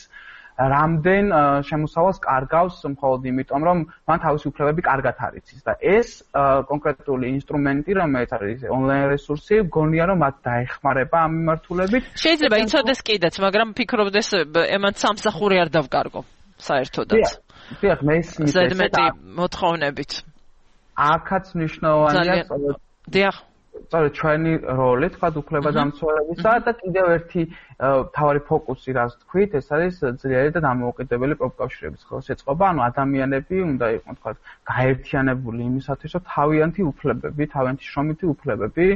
რამდენ შემოსავალს კარგავს მხოლოდ იმიტომ, რომ მან თავისი უფლებები კარგად არ იცის და ეს კონკრეტული ინსტრუმენტი, რომელიც არის ონლაინ რესურსი, გონია რომ მათ დაეხმარება ამ მიმართულებით. შეიძლება იცოდეს კიდეც, მაგრამ ფიქრობდეს ემან სამსახური არ დავკარგო საერთოდაც. დიახ, მე ის მითხრა. ზედმეტი მოთხოვნებით. აქაც მნიშვნელოვანია. დიახ. სწორედ ჩვენი როლი, თქვა უფლება დამცველებისა და კიდევ ერთი თავარი ფოკუსი, რაც თქვით, ეს არის ძლიერი და დამოუკიდებელი პროფკავშირების ხელშეწყობა, ანუ ადამიანები უნდა იყვნენ, თქვა, გაერთიანებული იმისათვის, რომ თავიანთი უფლებები, თავიანთი შრომითი უფლებები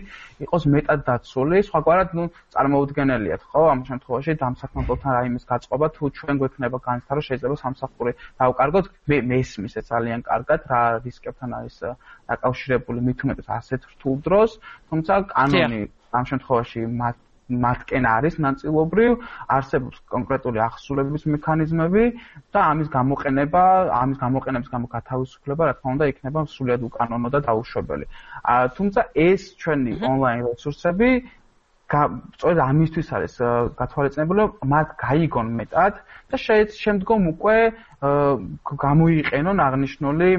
იყოს მეტად დაცული, სხვაგვარად, ნუ წარმოუდგენელიათ, ხო, ამ შემთხვევაში დამსაქმებელთან რაიმეს გაწყობა, თუ ჩვენ გვექნება განცდა, რომ შეიძლება სამსახური დავკარგოთ, მე მესმის ეს ძალიან კარგად, რა რისკებთან არის დაკავშირებული, მით უმეტეს ასეთ რთულ დროს. თუმცა კანონი ამ შემთხვევაში მათკენ არის ნაწილობრივ, არსებობს კონკრეტული ახსულების მექანიზმები და ამის გამოყენება, ამის გამოყენების გამო გათავისუფლება, რა თქმა უნდა, იქნება სრულიად უკანონო და დაუშვებელი. თუმცა ეს ჩვენი ონლაინ რესურსები სწორედ ამისთვის არის გათვალისწინებული, რომ მათ გაიგონ მეტად და შემდგომ უკვე გამოიყენონ აღნიშნული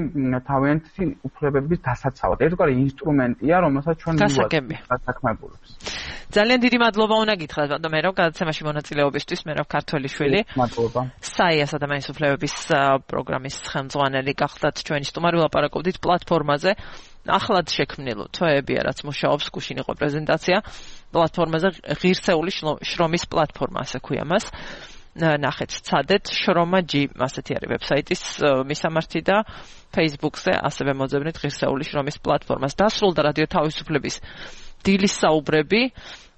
თავიანთი უფლებების დასაცავად. ერთგვარი ინსტრუმენტია, რომელსაც ჩვენ მივაწვდით დასაქმებულებს. ძალიან დიდი მადლობა უნდა გითხრათ, ბატონ მერაბ, გადაცემაში მონაწილეობისთვის, მერაბ ქართველიშვილი. მადლობა. საიას ადამიანის უფლებების პროგრამის ხელმძღვანელი გახდათ ჩვენი სტუმარი, ვილაპარაკობდით პლატფორმაზე. ახლად შექმნილ თვეებია, რაც მუშაობს, გუშინ იყო პრეზენტაცია პლატფორმაზე, ღირსეული შრომის პლატფორმა, ასე ქვია მას. ნახეთ, ცადეთ შრომაჯი, ასეთი არის ვებსაიტის მისამართი და Facebook-ზე ასევე მოძებნით ღირსეული შრომის პლატფორმას. დასრულდა რადიო თავისუფლების დილის საუბრები.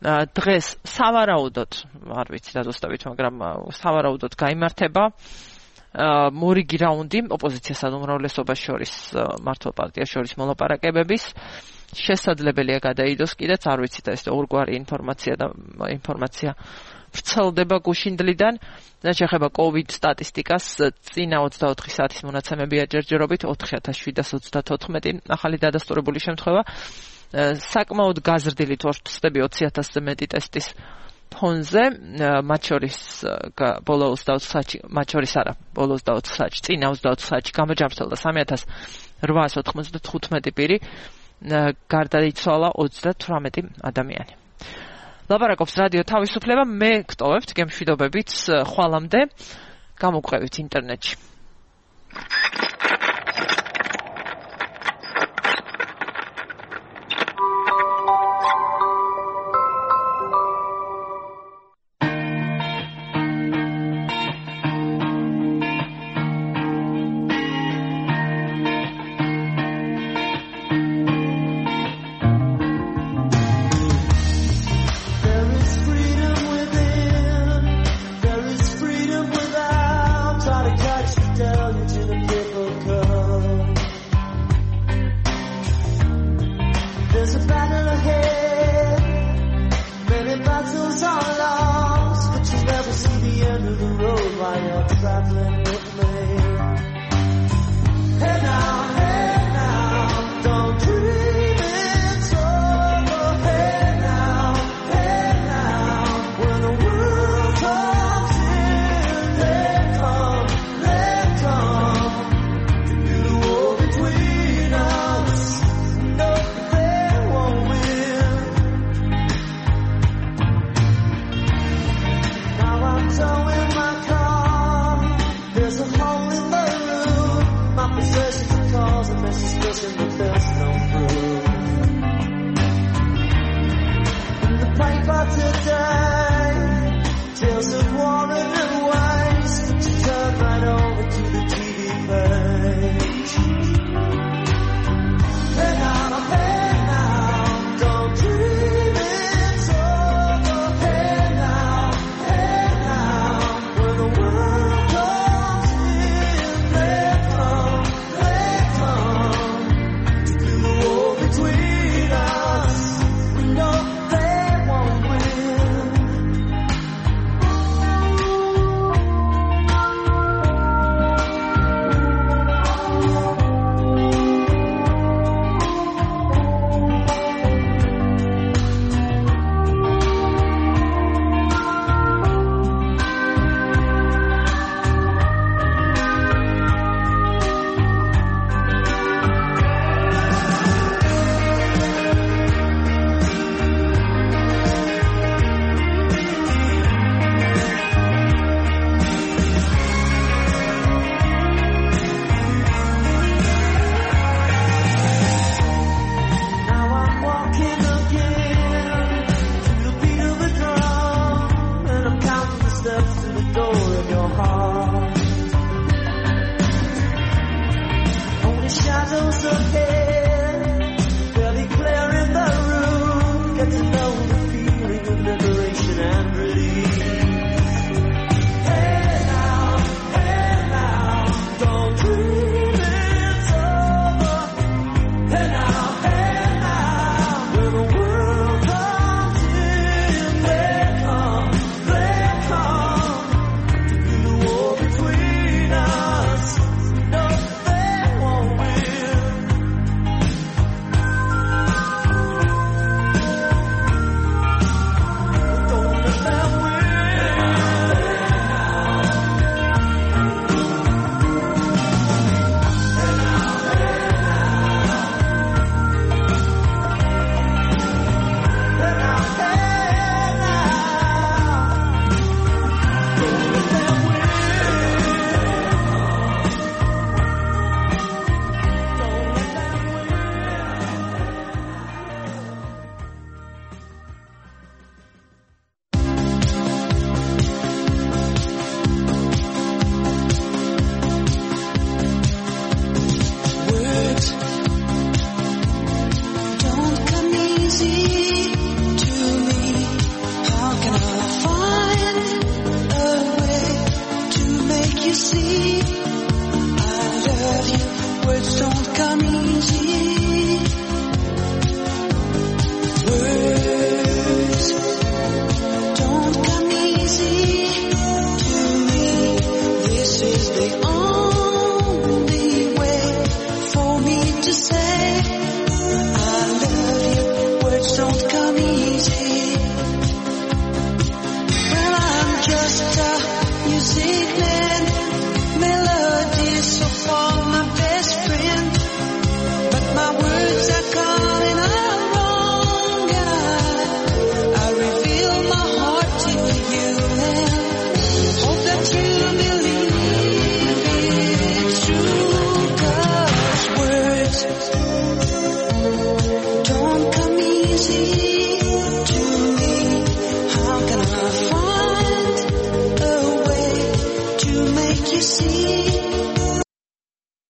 დღეს სავარაუდოდ, არ ვიცი რა ზუსტად, მაგრამ სავარაუდოდ გაიმართება მორიგი რაუნდი ოპოზიციასა და უმრავლესობას შორის, მართლ პარტიას შორის მოლაპარაკებების. შესაძლებელია გადაიდოს კიდეც, არ ვიცი და ეს ორგვარი ინფორმაცია და ინფორმაცია ვრცელდება გუშინდლიდან. რაც შეეხება COVID სტატისტიკას, წინა ოცდაოთხი საათის მონაცემებია ჯერჯერობით ოთხი ათას შვიდსათ ოცდათოთხმეტი ახალი დადასტურებული შემთხვევა. საკმაოდ გაზრდილი თორცდები ოცი ათასზე მეტი ტესტის ფონზე, მათ შორის ბოლო ოცდაოთხ საათში, მათ შორის არა, ბოლო ოცდაოთხ საათში, წინა ოცდაოთხ საათში გამოჯამრთელდა სამი ათას რვაასი ოთხმოცდათხუთმეტი პირი, გარდაიცვალა ოცდათვრამეტი ადამიანი. ლაპარაკობს რადიო თავისუფლება, მე გტოვებთ გემშვიდობებით ხვალამდე, გამოგყვებით ინტერნეტში. words don't come easy.